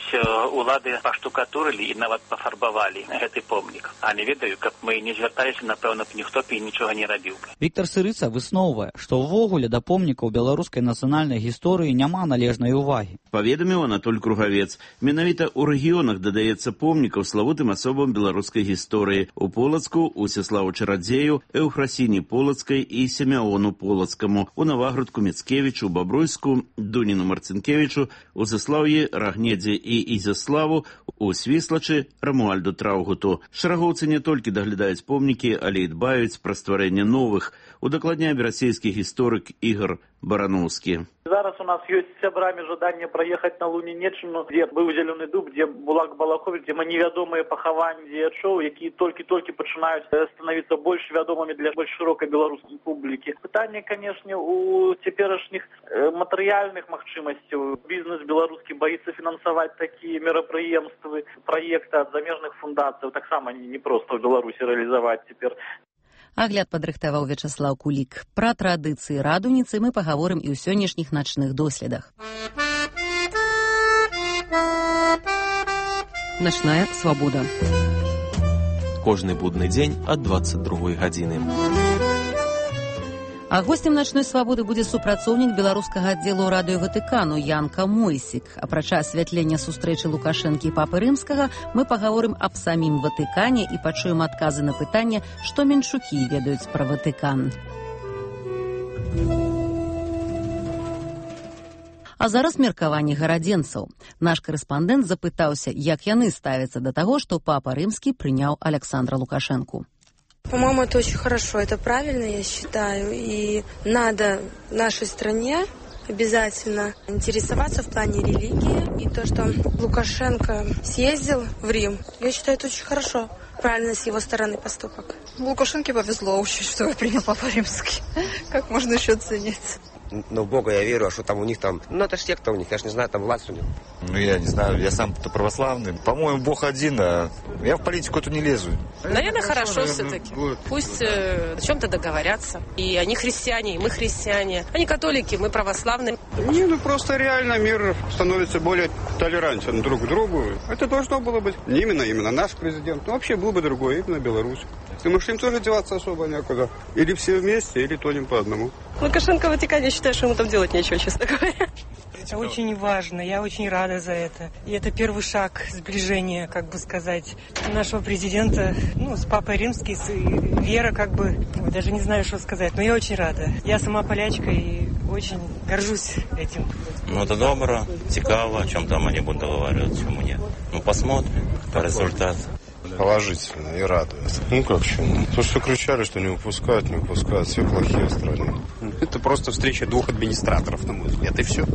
улады поштукатурили и нават пофарбовали этот помник. А не ведаю, как мы не звертались, напевно, б ніхто б і нічого не робив. Віктор Сырыца высноўвае, што ўвогуле да помнікаў беларускай нацыянальнай гісторыі няма належнай увагі. Паведаміў Анатоль Кругавец. Менавіта ў рэгіёнах дадаецца помнікаў славутым асобам беларускай гісторыі. У Полацку, у Сяславу Чарадзею, Эўфрасіні Полацкай і Семяону Полацкаму, у Наваградку Міцкевічу, Бабруйску, Дуніну Марцінкевічу, у Заслаўі, Рагнедзе і Ізяславу, у Свіслачы, Рамуальду Траўгуту. Шарагоўцы не толькі даглядаюць помнікі, але і дбаюць пра стварэнне новых. Удакладняе расійскі гісторык Ігор Барановскі. Зараз у нас ёсць сябрамі жаданне праехаць на Лунінеччыну, дзе быў Зялёны дуб, дзе Булак Балахович, дзе невядомыя пахаванні дзеячоў, якія толькі-толькі пачынаюць становіцца больш вядомымі для больш шырокай беларускай публікі. Пытанне, канешне, у цяперашніх матэрыяльных магчымасцяў. Бізнес беларускі баіцца фінансаваць такія мерапрыемствы, праекты ад замежных фундацыяў, таксама не проста ў Беларусі рэалізаваць цяпер. Агляд падрыхтаваў Вячаслаў Кулік. Пра традыцыі радуніцы мы пагаворым і ў сённяшніх начных доследах. Начная свабода. Кожны будны дзень ад дваццаць другой гадзіны. А гостем начной свабоды будзе супрацоўнік беларускага аддзелу радыё Ватыкану Янка Мойсік. Апрача асвятлення сустрэчы Лукашэнкі і папы рымскага, мы пагаворым аб самім Ватыкане і пачуем адказы на пытанне, што менчукі ведаюць пра Ватыкан. А зараз меркаванне гарадзенцаў. Наш корэспандэнт запытаўся, як яны ставяцца да таго, што папа рымскі прыняў Александра Лукашэнку. По-моему, это очень хорошо, это правильно, я считаю, и надо нашей стране обязательно интересоваться в плане религии, и то, что Лукашенко съездил в Рим, я считаю, это очень хорошо, правильно с его стороны поступок. Лукашенке повезло очень, что его принял Папа Римский, как можно еще оценить? Ну, в Бога я верю, а что там у них там... Ну, это ж секта у них, я ж не знаю, там власть у них. Ну, я не знаю, я сам-то православный. По-моему, Бог один, а я в политику эту не лезу. Наверное, хорошо, хорошо все-таки. Будет. Пусть э, о чем-то договорятся. И они христиане, и мы христиане. Они католики, мы православные. Не, ну просто реально мир становится более толерантен друг к другу. Это должно было быть не именно, именно наш президент, но вообще был бы другой, именно Беларусь. Потому что им тоже деваться особо некуда. Или все вместе, или тонем по одному. Лукашенко в Ватикане, я считаю, что ему там делать нечего, честно говоря. Это очень важно, я очень рада за это. И это первый шаг сближения, как бы сказать, нашего президента, ну, с Папой Римским, с Вера, как бы, даже не знаю, что сказать, но я очень рада. Я сама полячка и очень горжусь этим. Ну, это добро, цікаво, о чем там они будут договариваться, чему нет. Ну, посмотрим по результату. положительно и радует. Ну как почему? То, что кричали, что не выпускают, не выпускают, все плохие в стране. Это просто встреча двух администраторов, на мой взгляд, и все.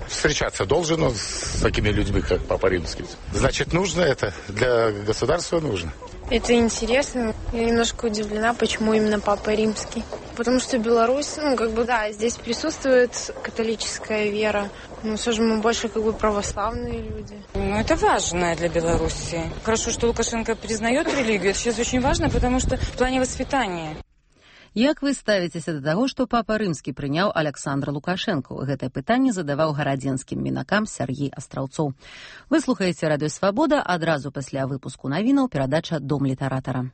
Встречаться должен он с такими людьми, как Папа Римский. Значит, нужно это, для государства нужно. Это интересно. Я немножко удивлена, почему именно Папа Римский. Потому что Беларусь, ну, как бы, да, здесь присутствует католическая вера. Но все же мы больше, как бы, православные люди. Ну, это важно для Беларуси. Хорошо, что Лукашенко признает религию. Это сейчас очень важно, потому что в плане воспитания. Як вы ставіцеся да таго, што папа рымскі прыняў Аляксандра Лукашэнку? Гэтае пытанне задаваў гарадзенскім мінакам Сяргей Астраўцоў. Вы слухаеце радыё Свабода, адразу пасля выпуску навінаў перадача «Дом літаратара».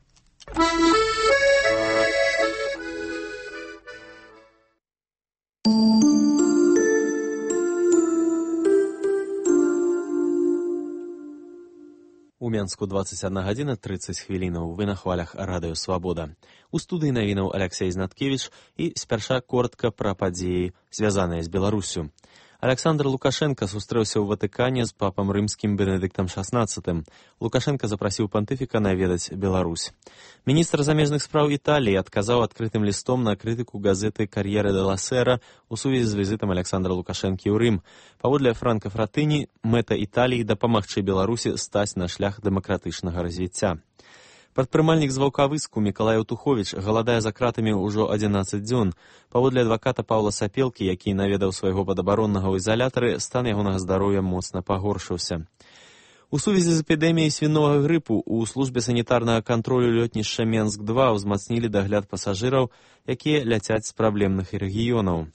У Менску двадцать одна гадзіна тридцать хвілінаў. Вы на хвалях радыё Свабода. У студыі навінаў Аляксей Знаткевіч і спярша коротка пра падзеі, звязаныя з Беларусю. Аляксандр Лукашенко сустрэўся ў Ватыкане з папам рымскім Бенедыктам шаснаццатым. Лукашенко запрасіў пантыфіка наведаць Беларусь. Міністр замежных спраў Італіі адказаў адкрытым лістом на крытыку газеты «Кар'ера де ла Сера» у сувязі з візітам Аляксандра Лукашэнкі ў Рым. Паводле Франка Фратыні, мэта Італіі дапамагчы Беларусі стаць на шлях дэмакратычнага развіцця. Прадпрымальнік з Ваўкавыску Мікалай Утуховіч галадае за кратамі ўжо адзінаццаць дзён. Паводле адваката Паўла Сапелкі, які наведаў свайго падабароннага ў ізалятары, стан ягонага здароўя моцна пагоршыўся. У сувязі з эпідэміяй свіновага грыпу ў службе санітарнага кантролю лётнішча Менск два ўзмацнілі дагляд пасажыраў, якія ляцяць з праблемных рэгіёнаў.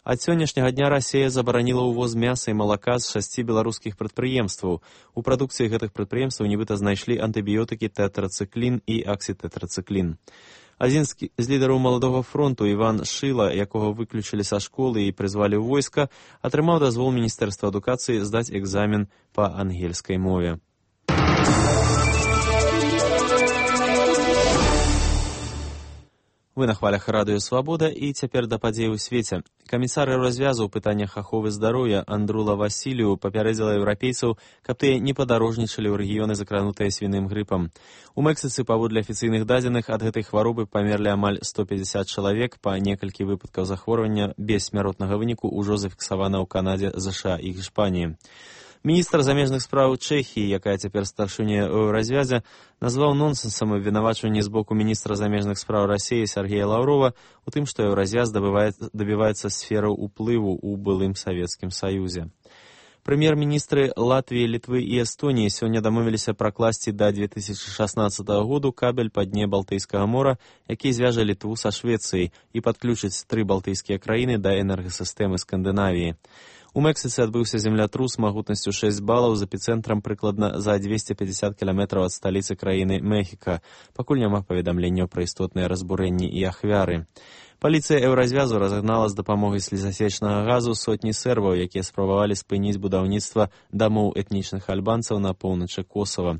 Ад сённяшняга дня Расія забараніла ўвоз мяса і малака з шасці беларускіх прадпрыемстваў. У прадукцыі гэтых прадпрыемстваў нібыта знайшлі антыбіётыкі тэтрацыклін і аксітэтрацыклін. Адзін з лідараў маладога фронту, Іван Шыла, якога выключылі са школы і прызвалі ў войска, атрымаў дазвол Міністэрства адукацыі здаць экзамен па ангельскай мове. Вы на хвалях радыё Свабода і цяпер да падзей у свеце. Камісар развязу ў пытаннях аховы здароўя Андрула Васілію папярэдзіла еўрапейцаў, каб тыя не падарожнічалі ў рэгіёны, закранутыя свіным грыпам. У Мэксіцы, паводле афіцыйных дадзеных, ад гэтай хваробы памерлі амаль сто пятьдесят чалавек, па некалькі выпадкаў захворвання без смяротнага выніку ўжо зафіксавана ў Канадзе, ЗША і Іспаніі. Міністр замежных спраў Чэхіі, якая цяпер старшыня развязя, назваў нонсенсам абвінавачванне з боку міністра замежных спраў Расіі Сергея Лаўрова у тым, што еўразвяз дабіваецца сфераў уплыву ў былым Савецкім Саюзе. Прэм'ер-міністры Латвіі, Літвы і Эстоніі сёння дамовіліся пракласці да две тысячи шаснаццатага году кабель па дне Балтыйскага мора, які звяжа Літву са Швецыяй і падключыць тры балтыйскія краіны да энергасістэмы Скандынавіі. У Мэксіцы адбыўся землятрус магутнасцю шэсць балаў з эпіцэнтрам прыкладна за двести пятьдесят кіламетраў ад сталіцы краіны Мехіка. Пакуль няма паведамленняў пра істотныя разбурэнні і ахвяры. Паліцыя еўразвязу разагнала з дапамогай слізасечнага газу сотні сербаў, якія спрабавалі спыніць будаўніцтва дамоў этнічных альбанцаў на поўначы Косава.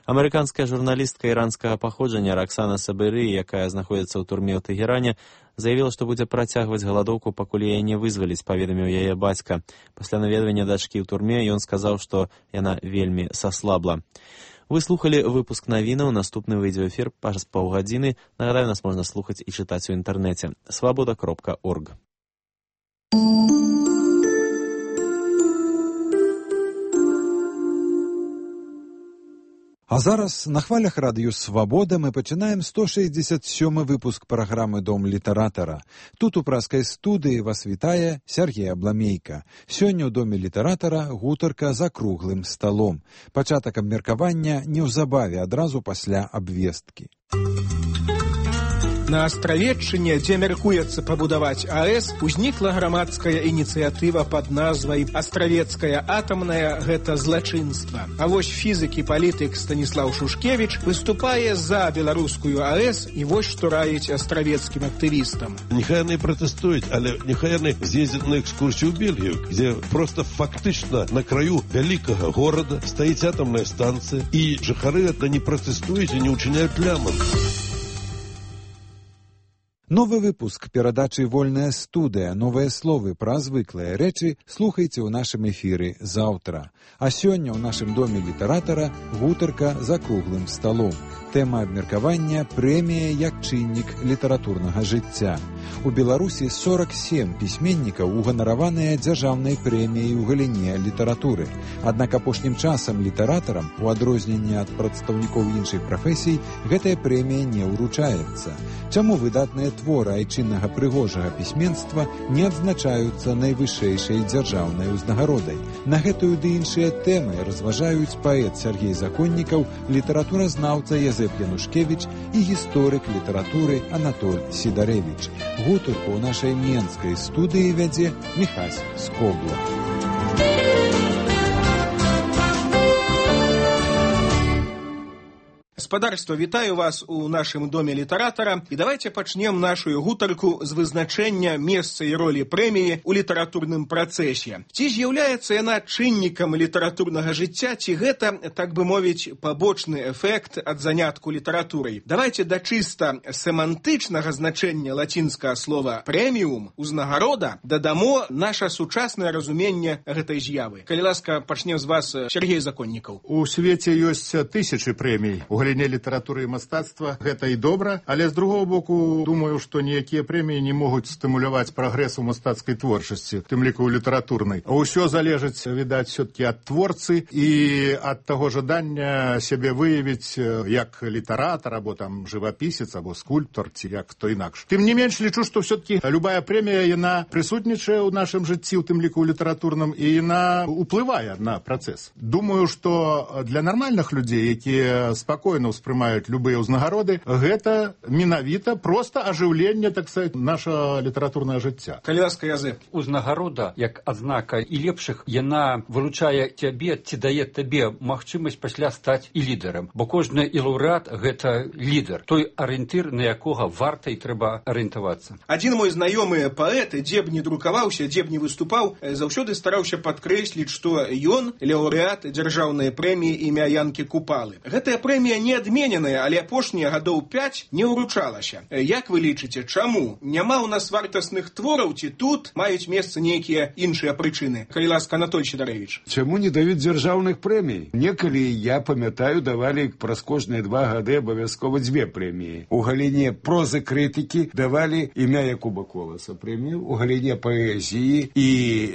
Амерыканская журналістка іранскага паходжання Роксана Сабыры, якая знаходзіцца ў турме ў Тэгеране, заявіла, што будзе працягваць галадоўку, пакуль яе не вызваліць, паведаміў яе бацька. Пасля наведвання дачкі ў турме ён сказаў, што яна вельмі саслабла. Вы слухали выпуск навінаў, наступны выйдзе ў эфір праз паўгадзіны. Нагадаю, нас можна слухаць і чытаць у інтэрнэце. свабода кропка орг. А зараз на хвалях радыё Свабода мы пачынаем сто шэсцьдзесят сёмы выпуск праграмы «Дом літаратара». Тут у праскай студыі вас вітае Сергей Абламейка. Сёння ў Доме літаратара гутарка за круглым сталом. Пачатак абмеркавання неўзабаве адразу пасля абвесткі. На Астравеччыне, дзе мяркуецца пабудаваць АЭС, узнікла грамадская ініцыятыва пад назвай «Астравецкая атамная – гэта злачынства». А вось фізык і палітык Станіслаў Шушкевіч выступае за беларускую АЭС і вось што раіць астравецкім актывістам. Нехай яны пратэстуюць, але нехай яны з'ездзяць на экскурсію ў Бельгію, дзе проста фактычна на краю вялікага горада стаіць атамная станцыя, і жыхары гэта не пратэстуюць і не ўчыняюць лямант. Новы выпуск перадачы «Вольная студыя». Новыя словы пра звыклыя рэчы слухайце ў нашым эфіры заўтра. А сёння ў нашым доме літаратара гутарка за круглым сталом. Тэма абмеркавання – прэмія як чыннік літаратурнага жыцця. У Беларусі сорок сем пісьменнікаў уганараваныя дзяржаўнай прэміяй у галіне літаратуры. Аднак апошнім часам літаратарам, у адрозненне ад прадстаўнікоў іншых прафесій, гэтая прэмія не ўручаецца. Чаму выдатныя творы айчыннага прыгожага пісьменства не адзначаюцца найвышэйшай дзяржаўнай узнагародай? На гэтую ды іншыя тэмы разважаюць паэт Сергей Законнікаў, літаратуразнаўца Язэп Янушкевіч і гісторык літаратуры Анатоль Сідарэвіч. Гутарку ў нашай менскай студыі вядзе Міхась Скобла. Господарство, вітаю вас у нашым доме літаратара. І давайте пачнем нашу гутарку з вызначэння месца і ролі прэміі ў літаратурным працэсе. Ці з'яўляецца яна чыннікам літаратурнага жыцця, ці гэта, так бы мовіць, пабочны эфект ад занятку літаратурай? Давайте да чыста семантычнага значэння лацінскага слова «прэміум» – «узнагарода» дадамо наша сучаснае разуменне гэтай з'явы. Калі ласка, пачнем з вас, Сергей Законнікаў. У свеце ёсць тысячы прэмій у галіне літаратуры і мастацтва, гэта і добра, але з другого боку, думаю, што ніякія прэміі не могуць стымуляваць прагрэс у мастацкай творчасці, тым ліку ў літаратурнай. А ўсё залежыць, відаць, все-таки ад творцы і ад таго жадання сябе выявіць як літаратар, або там жывапісец, або скульптор, ці як хто інакш. Тым не менш, лічу, што все-таки любая прэмія, яна прысутнічае ў нашым жыцці, у тым ліку ў літаратурным, і яна уплывае на працэс. Думаю, што для нармальных людзей, якія спакойна успрымаюць любыя ўзнагароды, гэта менавіта проста ажыўленне, так сказать, наша літаратурнае жыцця. Калі ласка, Язэп. Узнагарода, як адзнака і лепшых, яна выручае цябе, ці дае табе магчымасць пасля стаць і лідарам. Бо кожны і лаўрэат – гэта лідар, той арыентыр, на якога варта і трэба арыентавацца. Адзін мой знаёмы паэт, дзе б не друкаваўся, дзе б не выступаў, заўсёды стараўся падкрэсліць, што ён лаўрэат дзяржаўнай прэміі імя Янкі Купалы. Гэтая прэмія не адмененая, але апошнія гадоў пяць не ўручалася. Як вы лічыце, чаму? Няма ў нас вартасных твораў, ці тут маюць месца нейкія іншыя прычыны? Калі ласка, Анатоль Сідарэвіч. Чаму не даюць дзяржаўных прэмій? Некалі, я памятаю, давалі праз кожныя два гады абавязкова дзве прэміі. У галіне прозы крытыкі давалі імя Якуба Коласа прэмію, у галіне паэзіі і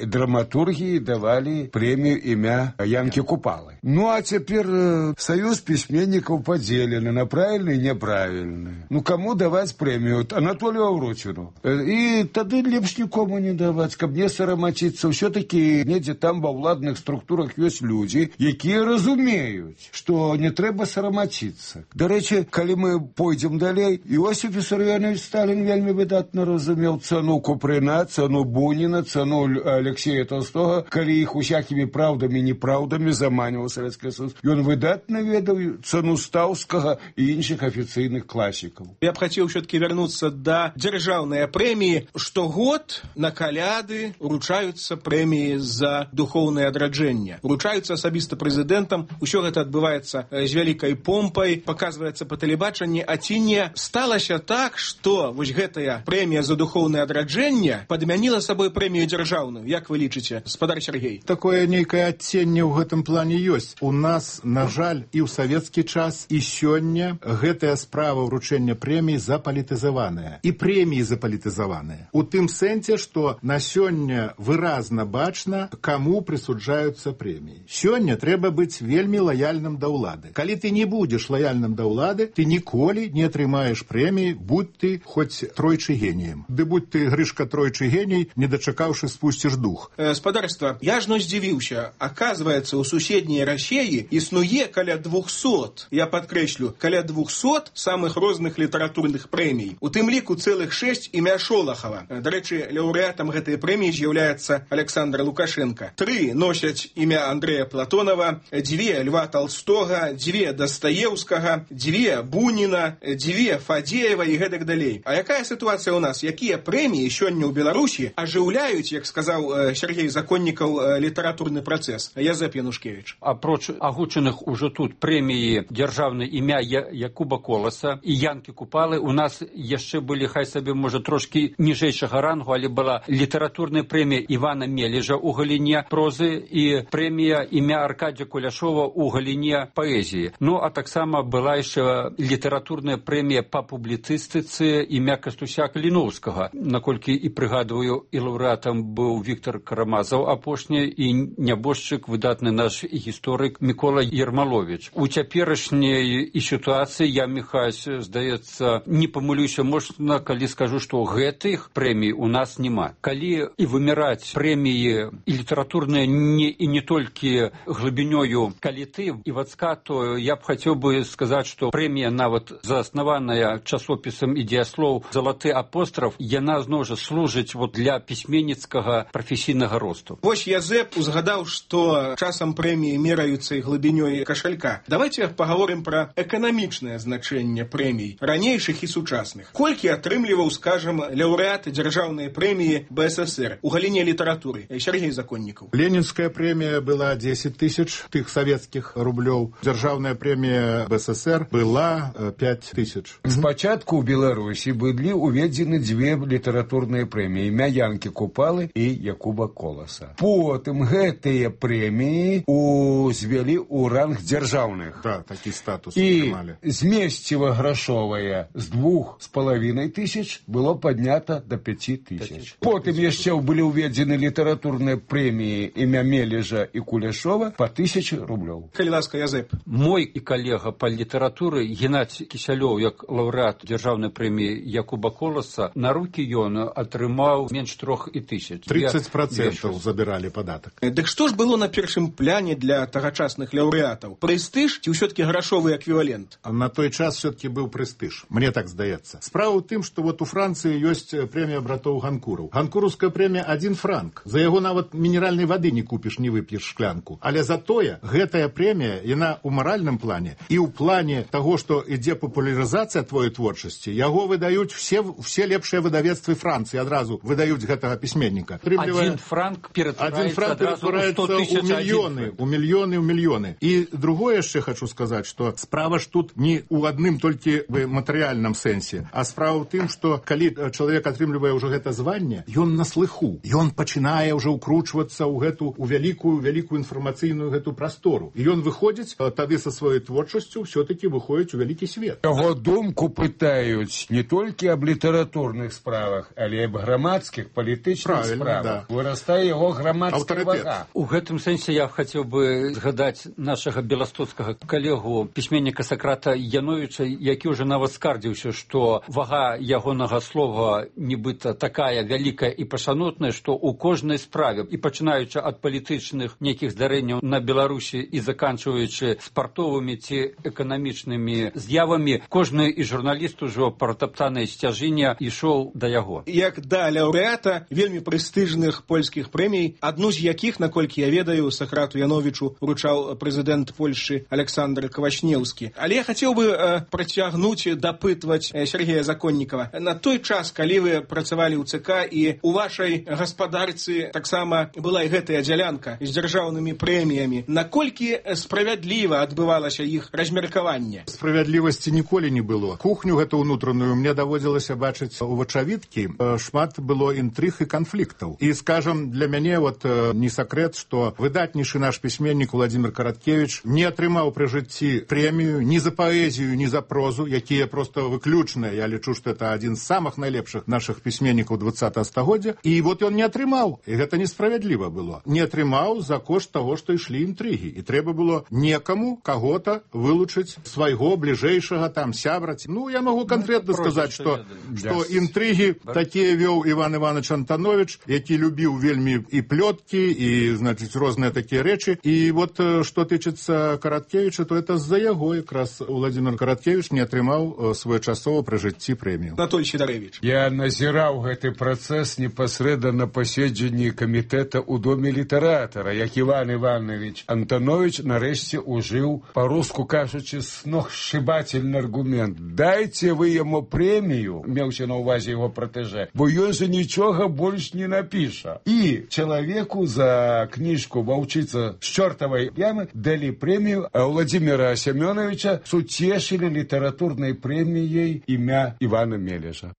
драматургіі давалі прэмію імя Янкі Купалы. Ну, а цяпер саюз пісьменнікаў подзелены на правільны і няправільны. Ну, каму даваць прэмію? Анатолію Аўрочыну. І тады лепш нікому не даваць, каб не сарамачыцца. Ўсё-такі недзе там ва ўладных структурах ёсць людзі, якія разумеюць, што не трэба сарамачыцца. Дарэчы, калі мы пойдзем далей, Іосиф Вісарыёнович Сталін вельмі выдатна разумеў цану Купрына, цану Буніна, цану Алексея Толстога, калі іх усякімі праўдамі і непраўдамі заманіваў Савецкі Союз. Ён выдатна ведаў цану Стаўскага і іншых афіцыйных класікаў. Я б хацеў все-таки вернуться да дзяржаўнай прэміі. Штогод на каляды уручаюцца прэміі за духоўнае адраджэнне. Уручаюцца асабіста прэзідэнтам. Усё гэта адбываецца з вялікай помпай, паказваецца па тэлебачанні, а ці не сталася так, што вось гэтая прэмія за духоўнае адраджэнне падмяніла сабой прэмію дзяржаўную? Як вы лічыце, спадар Сергей? Такое нейкае адценне ў гэтым плане ёсць. У нас, на жаль, і ў савецкі час, і сёння гэтая справа ўручэння прэмій запалітызаваная. І прэміі запалітызаваныя. У тым сэнсе, што на сёння выразна бачна, каму прысуджаюцца прэміі. Сёння трэба быць вельмі лаяльным да ўлады. Калі ты не будзеш лаяльным да ўлады, ты ніколі не атрымаеш прэміі, будь ты хоць тройчы геніем. Ды будь ты, Грышка, тройчы геній, не дачакаўшы, спусціш дух. Э, спадарства, я ж ну здзівіўся. Аказваецца, у суседняй Расеі існуе каля двухсот, я падкрэслю, каля двухсот самых розных літаратурных прэмій. У тым ліку цэлых шэсць імя Шолахава. Дарэчы, лаўрэатам гэтай прэміі з'яўляецца Александр Лукашенко. Тры носяць імя Андрэя Платонова, дзве Льва Толстога, дзве Дастаеўскага, дзве Буніна, дзве Фадзеева і гэтак далей. А якая сітуацыя ў нас? Якія прэміі сёння ў Беларусі ажыўляюць, як сказаў Сергей Законнікаў, літаратурны працэс? Язэп Янушкевіч. Апроч агучаных ужо тут прэміі дзяржаўных дзяржаўнае імя Якуба Коласа і Янкі Купалы. У нас яшчэ былі, хай сабе, можа, трошкі ніжэйшага рангу, але была літаратурная прэмія Івана Мележа ў галіне прозы і прэмія імя Аркадзя Куляшова ў галіне паэзіі. Ну, а таксама была яшчэ літаратурная прэмія па публіцыстыцы імя Кастуся Каліноўскага. Наколькі і прыгадваю, і лаўрэатам быў Віктор Карамазаў апошні, і нябожчык, выдатны наш гісторык Мікола Ермалович. У цяперашняй і сітуацыі я, Міхась, здаецца, не памылюся, можна, калі скажу, што гэтых прэмій у нас няма. Калі і выміраць прэміі і літаратурныя не, і не толькі глыбінёю каліты і вацка, то я б хацеў бы сказаць, што прэмія нават заснаваная часопісам «Ідзеяслоў» «Залаты апостраф», яна зноў жа служыць вот для пісьменніцкага прафесійнага росту. Вось Язэп узгадаў, што часам прэміі мераюцца і глыбінёй кашалька. Давайте паговорым пра эканамічнае значэнне прэмій, ранейшых і сучасных. Колькі атрымліваў, скажам, лаўрэат дзяржаўнай прэміі бэ эс эс эр у галіне літаратуры? Сергей Законнікаў. Ленінская прэмія была дзесяць тысяч тых савецкіх рублёў. Дзяржаўная прэмія бэ эс эс эр была пяць тысяч. Спачатку ў Беларусі былі уведзены дзве літаратурныя прэміі, імя Янкі Купалы і Якуба Коласа. Потым гэтыя прэміі узвялі ў ранг дзяржаўных. Да, такі статус і атрымалі. Змесціва грашовая з двух з палавінай тысяч было паднята да пяці тысяч. Потым яшчэ былі ўведзены літаратурныя прэміі імя Мележа і Куляшова па тысячы рублёў. Калі ласка, Язэп. Мой і калега па літаратуры Геннадзь Кісялёў, як лаўрэат дзяржаўнай прэміі Якуба Коласа, на рукі ён атрымаў менш трох і тысяч. тридцать процентов забіралі падатак. Дык што ж было на першым пляне для тагачасных лаўрэатаў? Прэстыж ці ўсё-таки грашовы эквівалент? На той час все-таки быў прэстыж, мне так здаецца. Справа ў тым, што вот у Францыі ёсць прэмія братоў Ганкураў. Ганкураўская прэмія адзін франк. За яго нават мінеральнай вады не купіш, не вып'еш шклянку. Але затое гэтая прэмія, яна ў маральным плане і ў плане таго, што ідзе папулярызацыя твоей творчасці, яго выдаюць все, все лепшыя выдавецтвы Францыі, адразу выдаюць гэтага пісьменніка. Адзін франк ператвараецца ў мільёны, у мільёны, у мільёны. І другое яшчэ хочу сказаць, што справа ж тут не ў адным толькі в матэрыяльным сэнсе, а справа ў тым, што калі чалавек атрымлівае ўжо гэта званне, ён на слыху, ён пачынае ўжо ўкручвацца ў гэту у вялікую вялікую інфармацыйную гэту прастору. І ён выходзіць тады са сваёй творчасцю, все-таки выходзіць у вялікі свет. Яго думку пытаюць не толькі аб літаратурных справах, але і аб грамадскіх, палітычных справах. Да. Вырастае яго грамадская вага. У гэтым сэнсе я хацеў бы згадаць нашага беластоцкага калегу, пісьменніка Сакрата Яновіча, які ўжо нават скардзіўся, што вага ягонага слова нібыта такая вялікая і пашанотная, што ў кожнай справе, і пачынаючы ад палітычных нейкіх здарэнняў на Беларусі і заканчваючы спартовымі ці эканамічнымі з'явамі, кожны і журналіст ужо пратаптанай сцяжыне ішоў да яго. Як да лаўрэата вельмі прэстыжных польскіх прэмій, адну з якіх, наколькі я ведаю, Сакрату Яновічу вручаў прэзідэнт Польшчы Александр Квашнеўскі. Але я хацеў бы э, працягнуць, дапытваць э, Сергея Законнікава. На той час, калі вы працавалі ў ЦК і у вашай гаспадарцы таксама была і гэтая дзялянка з дзяржаўнымі прэміямі, наколькі справядліва адбывалася іх размеркаванне? Справядлівасці ніколі не было. Кухню гэту ўнутраную мне даводзілася бачыць у вачавіткі. Шмат было інтрыг і канфліктаў. І, скажам, для мяне вот не сакрэт, што выдатнейшы наш пісьменнік Владзімір Караткевіч не атрымаў пры жыцці прэмію ні за паэзію, ні за прозу, якія проста выключныя. Я лічу, што это адзін з самых найлепшых нашых пісьменнікаў двадцатага стагоддзя. І вот ён не атрымаў. І гэта несправядліва было. Не атрымаў за кошт таго, што ішлі інтрыгі. І трэба было некаму, каго-то вылучыць свайго бліжэйшага там сябра. Ну, я магу канкрэтна ну, сказаць, што, што інтрыгі такія вёў Іван Іванович Антанович, які любіў вельмі і плёткі, і, значыць, розныя такія рэчы. І вот, што тычыцца Караткевіча, то это з-за яго якраз Владзімір Караткевіч не атрымаў своечасова пры жыцці прэмію. Анатолій Сідарэвіч. Я назіраў гэты працэс непасрэдна на паседжанні камітэта ў доме літаратара, як Іван Іванович Антанович нарэшце ужыў, па-руску кажучы, сногсшибательны аргумент. Дайце вы яму прэмію, меўся на ўвазе яго пратэжэ, бо ён жа нічога больш не напіша. І чалавеку за кніжку «Ваўчыца з чортавай ямы» далі прэмію, а Владзіміра Семеновича суцешили литературной премией имя Ивана Мележа.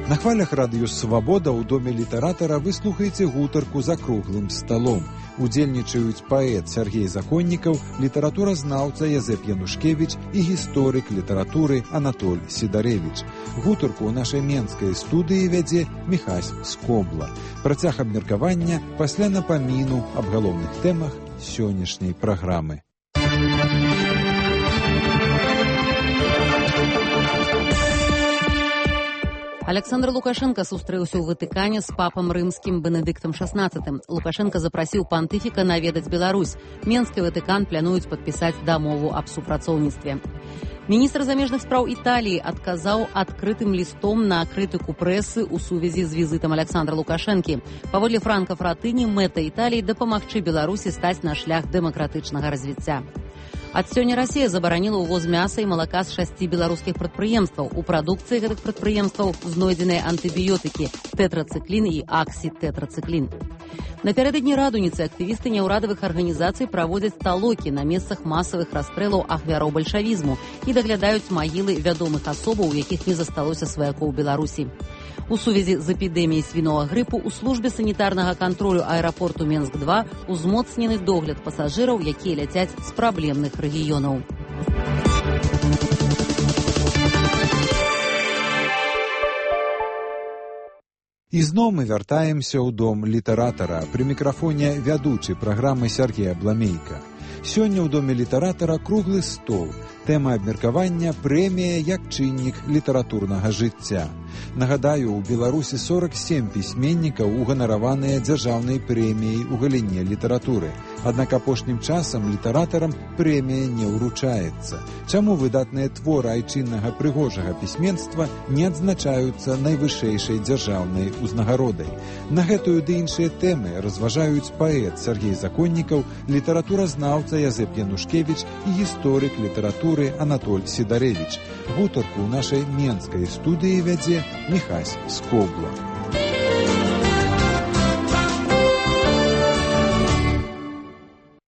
На хвалях радыё «Свабода» ў доме літаратара вы слухаеце гутарку за круглым сталом. Удзельнічаюць паэт Сергей Законнікаў, літаратуразнаўца Язэп Янушкевіч і гісторык літаратуры Анатоль Сідарэвіч. Гутарку ў нашай менскай студыі вядзе Міхась Скобла. Працяг абмеркавання пасля напаміну аб галоўных тэмах сённяшняй праграмы. Александр Лукашенко сустрэўся ў Ватыкане з папам рымскім Бенедыктам шаснаццатым. Лукашенко запрасіў пантыфіка наведаць Беларусь. Менск і Ватыкан плануюць падпісаць дамову аб супрацоўніцтве. Міністр замежных спраў Італіі адказаў адкрытым лістом на крытыку прэсы ў сувязі з візітам Александра Лукашэнкі. Паводле Франка Фратыні, мэта Італіі дапамагчы Беларусі стаць на шлях дэмакратычнага развіцця. Ад сёння Расія забараніла ўвоз мяса і малака з шасці беларускіх прадпрыемстваў. У прадукцыі гэтых прадпрыемстваў знойдзеныя антыбіётыкі тэтрацыклін і аксітэтрацыклін. Напярэдадні радуніцы актывісты няўрадавых арганізацый праводзяць талокі на месцах масавых расстрэлаў ахвяроў бальшавізму і даглядаюць магілы вядомых асобаў, у якіх не засталося сваякоў Беларусі. У сувязі з эпідэміяй свінога грыпу ў службе санітарнага кантролю аэрапорту Менск два узмоцнены догляд пасажыраў, якія ляцяць з праблемных рэгіёнаў. І зноў мы вяртаемся ў дом літаратара. Пры мікрафоне вядучы праграмы Сергей Абламейка. Сёння ў доме літаратара круглы стол. Тэма абмеркавання прэмія як чыннік літаратурнага жыцця. Нагадаю, у Беларусі сорак сем пісьменнікаў уганараваныя дзяржаўнай прэміяй у галіне літаратуры. Аднак апошнім часам літаратарам прэмія не ўручаецца. Чаму выдатныя творы айчыннага прыгожага пісьменства не адзначаюцца найвышэйшай дзяржаўнай узнагародай? На гэтую ды іншыя тэмы разважаюць паэт Сергей Законнікаў, літаратуразнаўца Язэп Янушкевіч і гісторык літаратуры Анатоль Сідарэвіч. Гутарку ў нашай менскай студыі вядзе Міхась Скобла.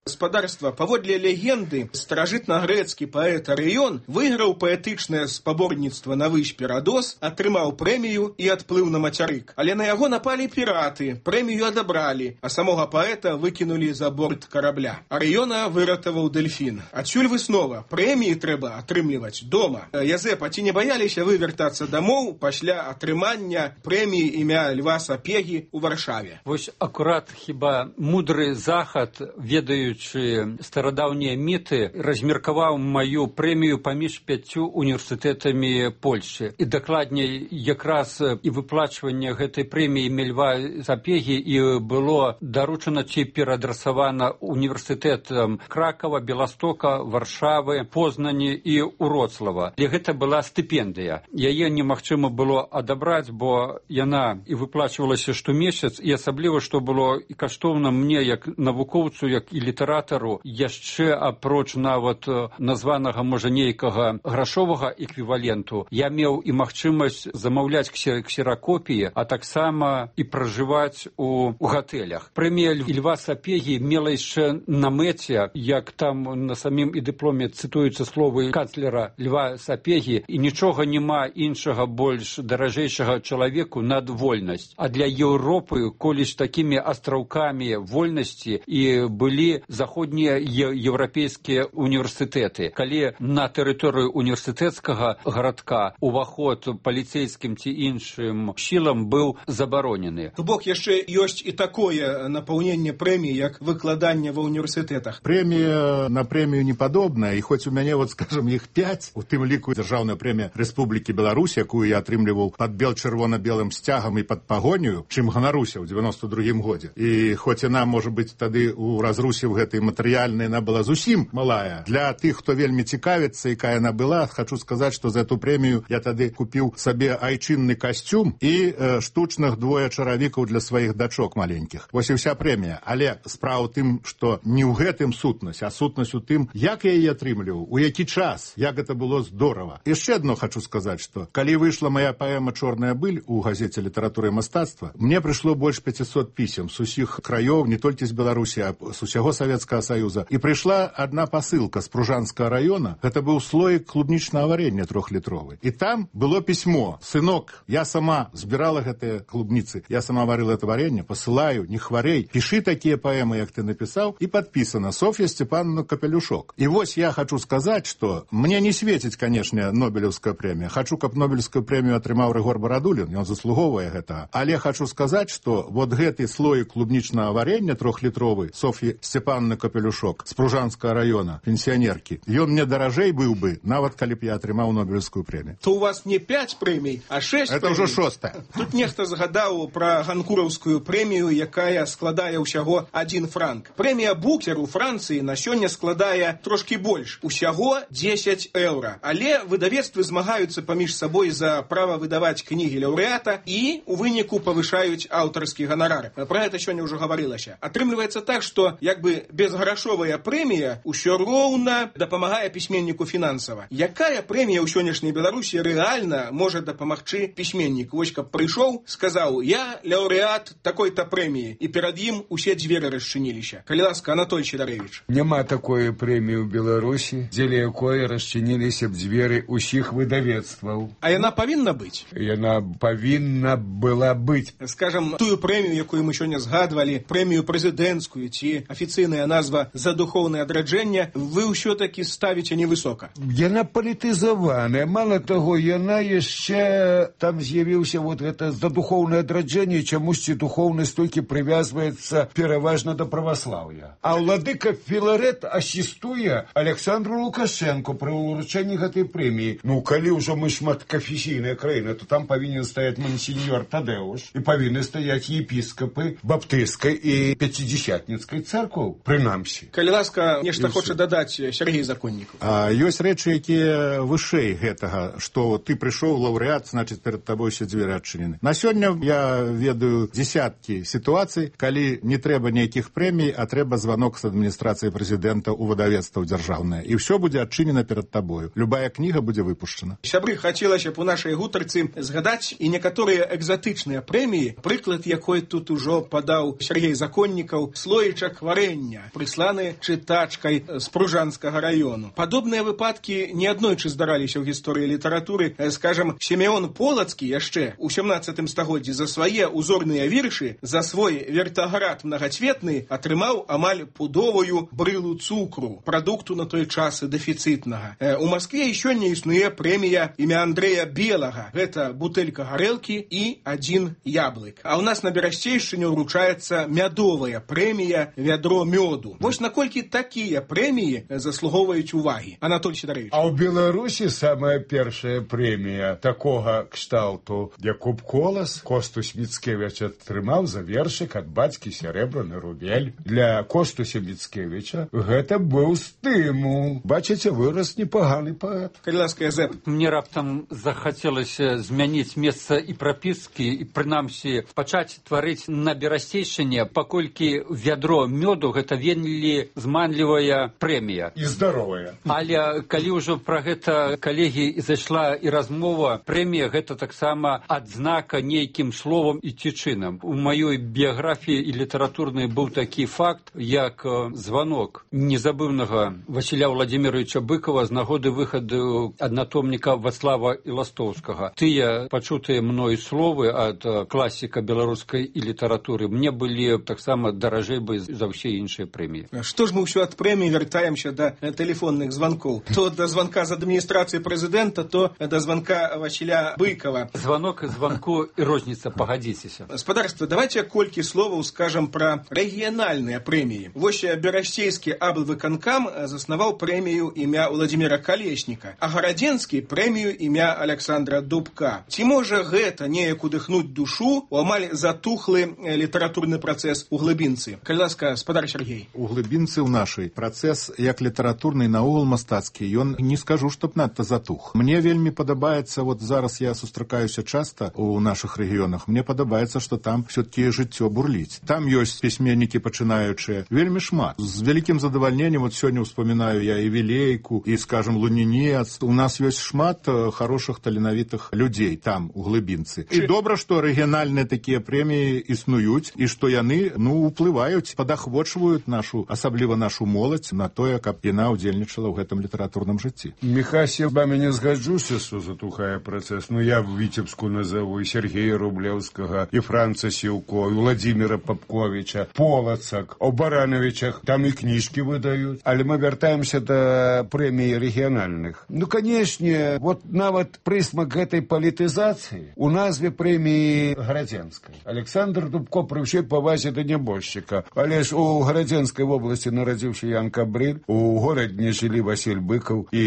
Гаспадарства, паводле легенды, старажытнагрэцкі паэт Арыён выйграў паэтычнае спаборніцтва на выспе Радос, атрымаў прэмію і адплыў на мацярык. Але на яго напалі піраты, прэмію адабралі, а самога паэта выкінулі за борт карабля. Арыёна выратаваў дэльфін. Адсюль выснова, прэміі трэба атрымліваць дома. Язэп, а ці не баяліся вы вяртацца дамоў пасля атрымання прэміі імя Льва Сапегі ў Варшаве? Вось акурат хіба мудры захад, ведаюць старадаўнія міты, размеркаваў маю прэмію паміж пяццю універсітэтамі Польшчы. І дакладней, якраз і выплачванне гэтай прэміі Льва Сапегі і было даручана ці пераадрасавана універсітэтам Кракава, Беластока, Варшавы, Познані і Уроцлава. І гэта была стыпендыя. Яе немагчыма было адабраць, бо яна і выплачвалася штомесяц, і асабліва, што было і каштоўна мне, як навукоўцу, як і літаратару, яшчэ апроч нават названага, можа, нейкага грашовага эквіваленту, я меў і магчымасць замаўляць ксеракопіі, а таксама і пражываць у, у гатэлях. Прэмія Льва Сапегі мела яшчэ на мэце, як там на самім і дыпломе цытуюцца словы канцлера Льва Сапегі, і нічога няма іншага больш даражэйшага чалавеку над вольнасць. А для Еўропы колісь такімі астраўкамі вольнасці і былі заходнія еўрапейскія універсітэты. Калі на тэрыторыю універсітэцкага гарадка уваход паліцейскім ці іншым сілам быў забаронены. То бок яшчэ ёсць і такое напаўненне прэміі, як выкладанне ва ўніверсітэтах. Прэмія на прэмію не падобная, і хоць у мяне, вот, скажем, іх пяць, у тым ліку дзяржаўная прэмія Рэспублікі Беларусь, якую я атрымліваў пад бел-чырвона-белым сцягам і пад пагоню, чым ганаруся ў дзевяноста другім годзе. І хоць яна, можа быць, тады у разрусе ў гэтай гэтай матэрыяльнай яна была зусім малая. Для тых, хто вельмі цікавіцца, якая яна была, хочу сказаць, што за эту прэмію я тады купіў сабе айчынны касцюм і э, штучных двое чаравікаў для сваіх дачок маленькіх. Вось і вся прэмія. Але справа ў тым, што не ў гэтым сутнасць, а сутнасць у тым, як я яе атрымліваў, у які час, як гэта было здорава. Яшчэ адно хочу сказаць, што калі выйшла моя паэма «Чорная быль» у газеце «Літаратура і мастацтва», мне прыйшло больш пяцісот пісем з усіх краёў, не толькі з Беларусі, а з усяго Савецкага Саюза. І прыйшла адна пасылка з Пружанскага раёна. Гэта быў слоік клубнічнага варення трохлітровы. І там было пісьмо: «Сынок, я сама збірала гэтыя клубніцы, я сама варила это варенье, посылаю, не хварей, пішы такія паэмы, як ты напісаў», і падпісана Софья Степановна Капелюшок. І вось я хочу сказаць, што мне не светіць, канешне, Нобелевская прэмія. Хочу, каб Нобелевскую прэмію атрымаў Рыгор Барадулін, ён заслугоўвае гэта. Але хочу сказаць, што вот гэты слоік клубнічнага варення трохлітровы Софьи Степановны Капелюшок з Пружанскага раёна, пенсіянеркі, ён мне даражэй быў бы, нават калі б я атрымаў Нобелевскую прэмію. То у вас не пять прэмій, а шесть это прэмій. Уже шостая. Тут нехта згадаў пра Ганкураўскую прэмію, якая складае ўсяго адзін франк. Прэмія Букер у Францыі на сёння складае трошкі больш, усяго дзесяць еўра. Але выдавецтвы змагаюцца паміж сабой за права выдаваць кнігі лаўрэата і у выніку павышаюць аўтарскі ганарар. Пра гэта сёння ўжо гаварылася. Атрымліваецца так, што як бы безграшовая прэмія ўсё роўна дапамагае пісьменніку фінансава. Якая прэмія ў сённяшняй Беларусі рэальна можа дапамагчы пісьменніку? Вось каб прыйшоў, сказаў: «Я лаўрэат такой-то прэміі», і перад ім усе дзверы расчыніліся. Калі ласка, Анатоль Сідарэвіч. Няма такой прэміі ў Беларусі, дзеля якой расчыніліся б дзверы ўсіх выдавецтваў. А яна павінна быць? Яна павінна была быць. Скажам, тую прэмію, якую мы сёння згадвалі, прэмію прэзідэнцкую ці афіцыйная назва «За духоўнае адраджэнне», вы ўсё-такі ставіце невысока. Яна палітызаваная. Мала таго, яна яшчэ там з'явіўся вот гэта «За духоўнае адраджэнне», чамусьці духоўнасць толькі прывязваецца пераважна да праваслаўя. А ўладыка Філарэт асістуе Александру Лукашенко пры ўручэнні гэтай прэміі. Ну, калі ўжо мы шматканфесійная краіна, то там павінен стаяць мансіньор Тадэуш і павінны стаяць епіскапы баптысцкай і пяцідзясятніцкай царкваў, прынамсі. Калі ласка, нешта хоча дадаць Сергей Законнікаў. А, ёсць рэчы, якія вышэй гэтага, што ты прыйшоў лаўрэат, значыць, перад табой усе дзверы адчынены. На сёння я ведаю дзесяткі сітуацый, калі не трэба нейкіх прэмій, а трэба званок з адміністрацыі прэзідэнта ў выдавецтва дзяржаўнае. І ўсё будзе адчынена перад табою. Любая кніга будзе выпушчана. Сябры, хацелася б у нашай гутарцы згадаць і некаторыя экзатычныя прэміі, прыклад якой тут ужо падаў Сергей Законнікаў, слоічак варення, прысланы чытачкай з Пружанскага раёну. Падобныя выпадкі неаднойчы здараліся ў гісторыі літаратуры. Скажам, Сімеон Полацкі яшчэ у сямнаццатым стагоддзі за свае узорныя віршы, за свой вертаград мнагацветны атрымаў амаль пудовую брылу цукру, прадукту на той час дэфіцытнага. У Маскве і сёння існуе прэмія імя Андрэя Белага. Гэта бутэлька гарэлкі і адзін яблык. А ў нас на Берасцейшчыне ўручаецца мядовая прэмія «Вядро мёду». Вось наколькі такія прэміі заслугоўваюць увагі. Анатоль Сідарэвіч. А ў Беларусі самая першая прэмія такога кшталту, як Куб Колас, Костусь Міцкевіч атрымаў за вершык ад бацькі «Серебраны рубель». Для Костуся Міцкевіча гэта быў стымул. Бачыце, вырас непаганы паэт. Калі ласка, Язэп. Мне раптам захацелася змяніць месца і прапіскі, і прынамсі пачаць тварыць на Берасцейшчыне, паколькі «Вядро мёду» гэта вельмі зманлівая прэмія. І здаровая. Але калі ўжо пра гэта, калегі, зайшла і размова, прэмія гэта таксама адзнака нейкім словам і ці чынам. У маёй біяграфіі і літаратурнай быў такі факт, як званок незабыўнага Васіля Владзіміровича Быкова з нагоды выхаду аднатомніка Вацлава Іластоўскага. Тыя пачутыя мной словы ад класіка беларускай і літаратуры мне былі таксама даражэй бы за ўсе іншыя прэміі. Што ж мы ўсё ад прэміі вяртаемся да тэлефонных званкоў? То да званка з адміністрацыі прэзідэнта, то да званка Васіля Быкова. Званок і званку і розніца, пагадзіцеся. Спадарства, давайте колькі словаў скажам пра рэгіянальныя прэміі. Вось Берасцейскі аблвыканкам заснаваў прэмію імя Владзіміра Калесніка, а Гарадзенскі прэмію імя Александра Дубка. Ці можа гэта неяк удыхнуць душу у амаль затухлы літаратурны працэс у глыбінцы? Калі ласка, спадар Сергей. У глыбінцы ў нашай працэс як літаратурны наогул мастацкі, ён не скажу, чтоб надта затух. Мне вельмі падабаецца, вот зараз я сустракаюся часта у нашых рэгіёнах, мне падабаецца, што там все-таки жыццё бурліць. Там ёсць пісьменнікі пачынаючыя, вельмі шмат. З вялікім задавальненнем, вот сёння ўспамінаю я і Вілейку, і, скажем, Лунінец. У нас ёсць шмат хорошых таленавітых людзей там, у глыбінцы. І добра, што рэгіянальныя такія прэміі існуюць, і што яны, ну, уплываюць, падахвочваюць нашу, асабліва нашу моладзь, на тое, каб яна ўдзельнічала ў гэтым літаратурным жыцці. Міхась, я з вами не згаджуся, што затухае працэс. Ну, я в Віцебску назову і Сергея Рублеўскага, і Франца Сіўко, і Владзіміра Папковіча, Полацак, о Барановичах. Там і кніжкі выдаюць. Але мы вяртаемся да прэмій рэгіянальных. Ну, канешне, вот нават прысмак гэтай палітызацыі у назве прэміі Гарадзенскай. Александр Дубко пры ўсёй павазе да нябожчыка. Але ж у Гарадзенскай вобласці нарадзіўся Ян Кабрыль, у горадні жылі Васіль Быкаў і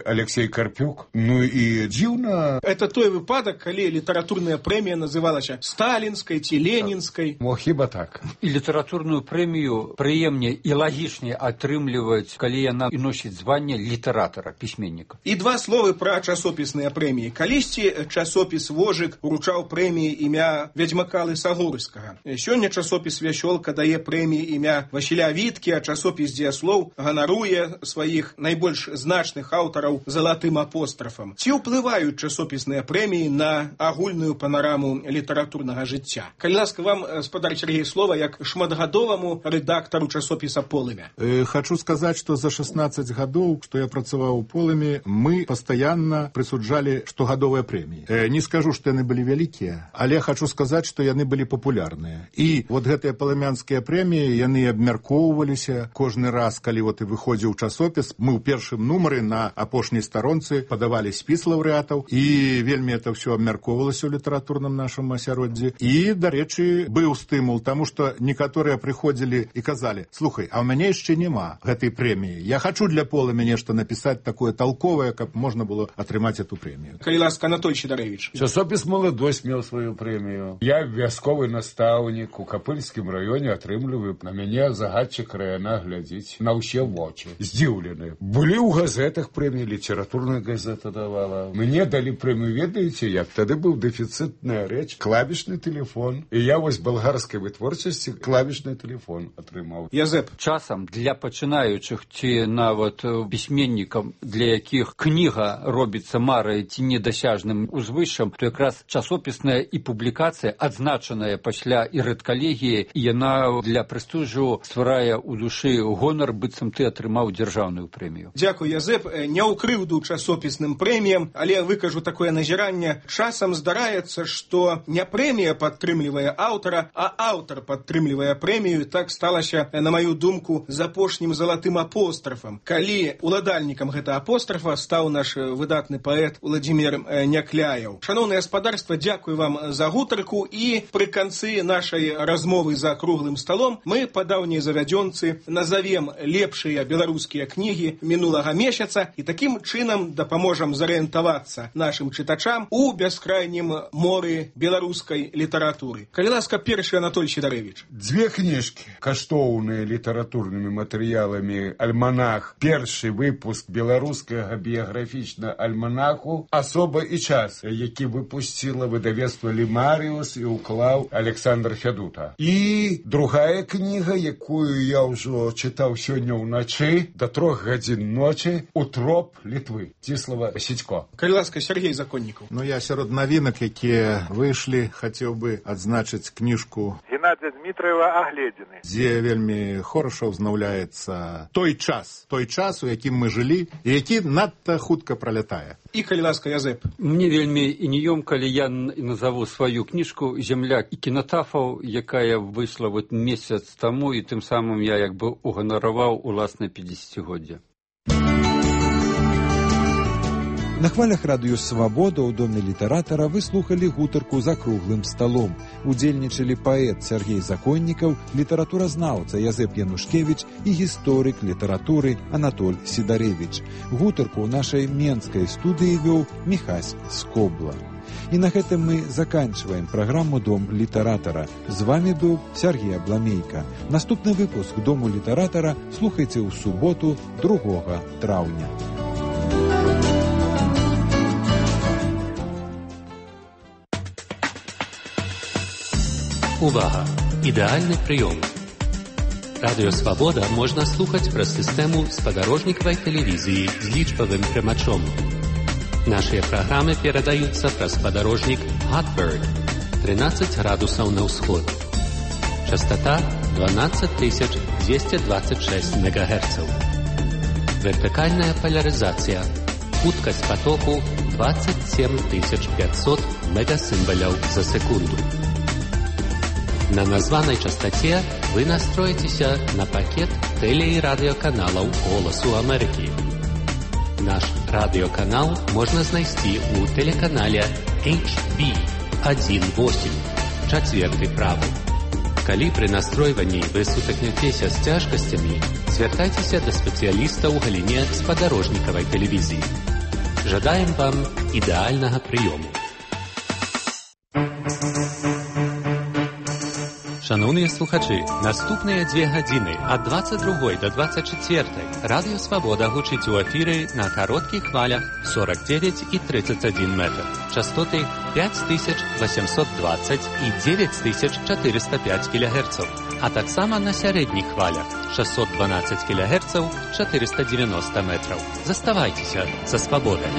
Алексей Карпюк. Ну і дзіўна. Это той выпадак, калі літаратурная прэмія называлася сталінскай ці ленінскай. Мо хіба так. І літаратурную прэмію прыемней і лагічней атрымліваць, калі яна і носіць званне літаратара, пісьменніка. І два словы пра часопісныя прэміі. Калісьці часопіс «Вожык» уручаў прэміі імя Вядзьмака Лысагорскага. Сёння часопіс «Вясёлка» дае прэміі імя Васіля Віткі, а часопіс «Дзеяслоў» ганаруе сваіх найбольш значных аўтараў залатым апострафам. Ці ўплываюць часопісныя прэміі на агульную панараму літаратурнага жыцця? Калі ласка, вам, спадар Сергей, слова як шматгадоваму рэдактару часопіса «Полымя». Э, хочу сказаць, што за шестнадцать гадоў, што я працаваў у «Полымі», мы пастаянна прысуджалі штогадовыя прэміі. Э, не скажу, што яны былі вялікія, але хочу сказаць, што яны былі папулярныя. І вот гэтыя палымянскія прэміі, яны абмяркоўваліся кожны раз, калі вот і выходзіў часопіс. Мы ў першым нумары на апошняй старонцы падавалі спіс лаўрэатаў, і вельмі это ўсё абмяркоўвалася ў літаратурным нашым асяроддзі. І, дарэчы, быў стымул, таму што некаторыя прыходзілі і казалі: слухай, а ў мяне яшчэ няма гэтай прэміі. Я хочу для «Полымя» нешта напісаць такое толковае, каб можна было атрымаць эту прэмію. Калі ласка, Анатоль Сідарэвіч. Часопіс «Маладосць» меў сваю прэмію. Я вясковы настаўнік у Капыльскім раёне, атрымліваю. На мяне загадчык района глядзіць на ўсе вочы. Здзіўлены. Былі ў газетах прэміі, літаратурная газета давала. Мне далі прэмію, ведаеце, як? Тады быў дэфіцытная рэч, клавішны тэлефон. І я вось балгарскай вытворчасці клавішны тэлефон атрымаў. Язэп. Часам для пачынаючых ці нават пісьменнікам, для якіх кніга робіцца марай ці недасяжным узвышшам, то якраз часопісная і публікацыя, адзначаная пасля і рэдкалегіі, і яна для прэстыжу стварае ў душы гонар, быццам ты атрымаў дзяржаўную прэмію. Дзякуй, Язэп. Не ў крыўду часопісным прэміям, але выкажу такое назіранне. Часам здараецца, што не прэмія падтрымлівае аўтара, а аўтар падтрымлівае прэмію. Так сталася, на маю думку, з апошнім залатым апострафам. Калі уладальнікам гэта апострафа стаў наш выдатны паэт Владзімір Някляеў. Шаноўнае гаспадарства, дзякую вам за гутарку, і пры канцы нашай размовы за круглым сталом мы па даўняй завядзёнцы назавем лепшыя беларускія кнігі мінулага месяца і такім чынам дапаможам зарыентавацца нашым чытачам у бяскрайнім моры беларускай літаратуры. Калі ласка, першы Анатоль Сідарэвіч. Дзве кніжкі, каштоўныя літаратурнымі матэрыяламі альманах. Першы выпуск беларускага біяграфічнага альманаху «Асоба і час», які выпусціла выдавецтва «Лімаріус» і ўклаў Александр Фядута. І другая кніга, якую я ўжо чытаў сёння ўначы, да трох гадзін ночы, «Утроп Літвы», Ціслава Сідько. Калі ласка, Сергей Законнікаў. Ну, я сярод навінак, якія выйшлі, хацеў бы адзначыць кніжку Геннадзя Дмітраева «Агледзіны», дзе вельмі хораша ўзнаўляецца той час, той час, у якім мы жылі, і які надта хутка пралятае. І калі ласка, Язэп. Мне вельмі ініём, калі я назову сваю кніжку «Земля кінатафаў», якая выйшла вот месяц таму, і тым самым я як бы уганараваў уласнае пяцідзесяцігоддзе. На хвалях радыё «Свабода» ў доме літаратара вы слухалі гутарку за круглым сталом. Удзельнічалі паэт Сергей Законнікаў, літаратуразнаўца Язэп Янушкевіч і гісторык літаратуры Анатоль Сідарэвіч. Гутарку ў нашай менскай студыі вёў Міхась Скобла. І на гэтым мы заканчиваем праграму «Дом літаратара». З вами быў Сергей Абламейка. Наступны выпуск «Дому літаратара» слухайце ў суботу другога траўня. Увага! Ідэальны прыём. Радыё «Свабода» можна слухаць праз сістэму спадарожнікавай тэлевізіі з лічбавым прымачом. Нашыя праграмы перадаюцца праз спадарожнік Hotbird тринадцать градусаў на ўсход. Частота дванадцать тысяч двести двадцать шесть мегагерцаў. Вертыкальная поляризація. Хуткасць потоку двадцать семь тысяч пятьсот мегасімбаляў за секунду. На названай частоце вы настроитеся на пакет теле- и радыёканалаў «Голасу Амерыкі». Наш радыёканал можна знайсці ў тэлеканале эйч би один восемь, чацверты правы. Калі пры настройванні вы сутыкнецеся з цяжкасцямі, звяртайцеся да спецыяліста ў галіне спадарожнікавай тэлевізіі. Жадаем вам ідэальнага прыёму. Шановныя слухачы, наступныя дзве гадзіны ад двадцать другой до двадцать четвертой Радыё Свабода гучыць у эфіры на кароткіх хвалях сорок девять и тридцать один метр. Частоты пять тысяч восемьсот двадцать и девять тысяч четыреста пять килогерцаў, а таксама на сярэдніх хвалях шестьсот двенадцать килогерцаў, четыреста девяносто метров. Заставайцеся са свабодай.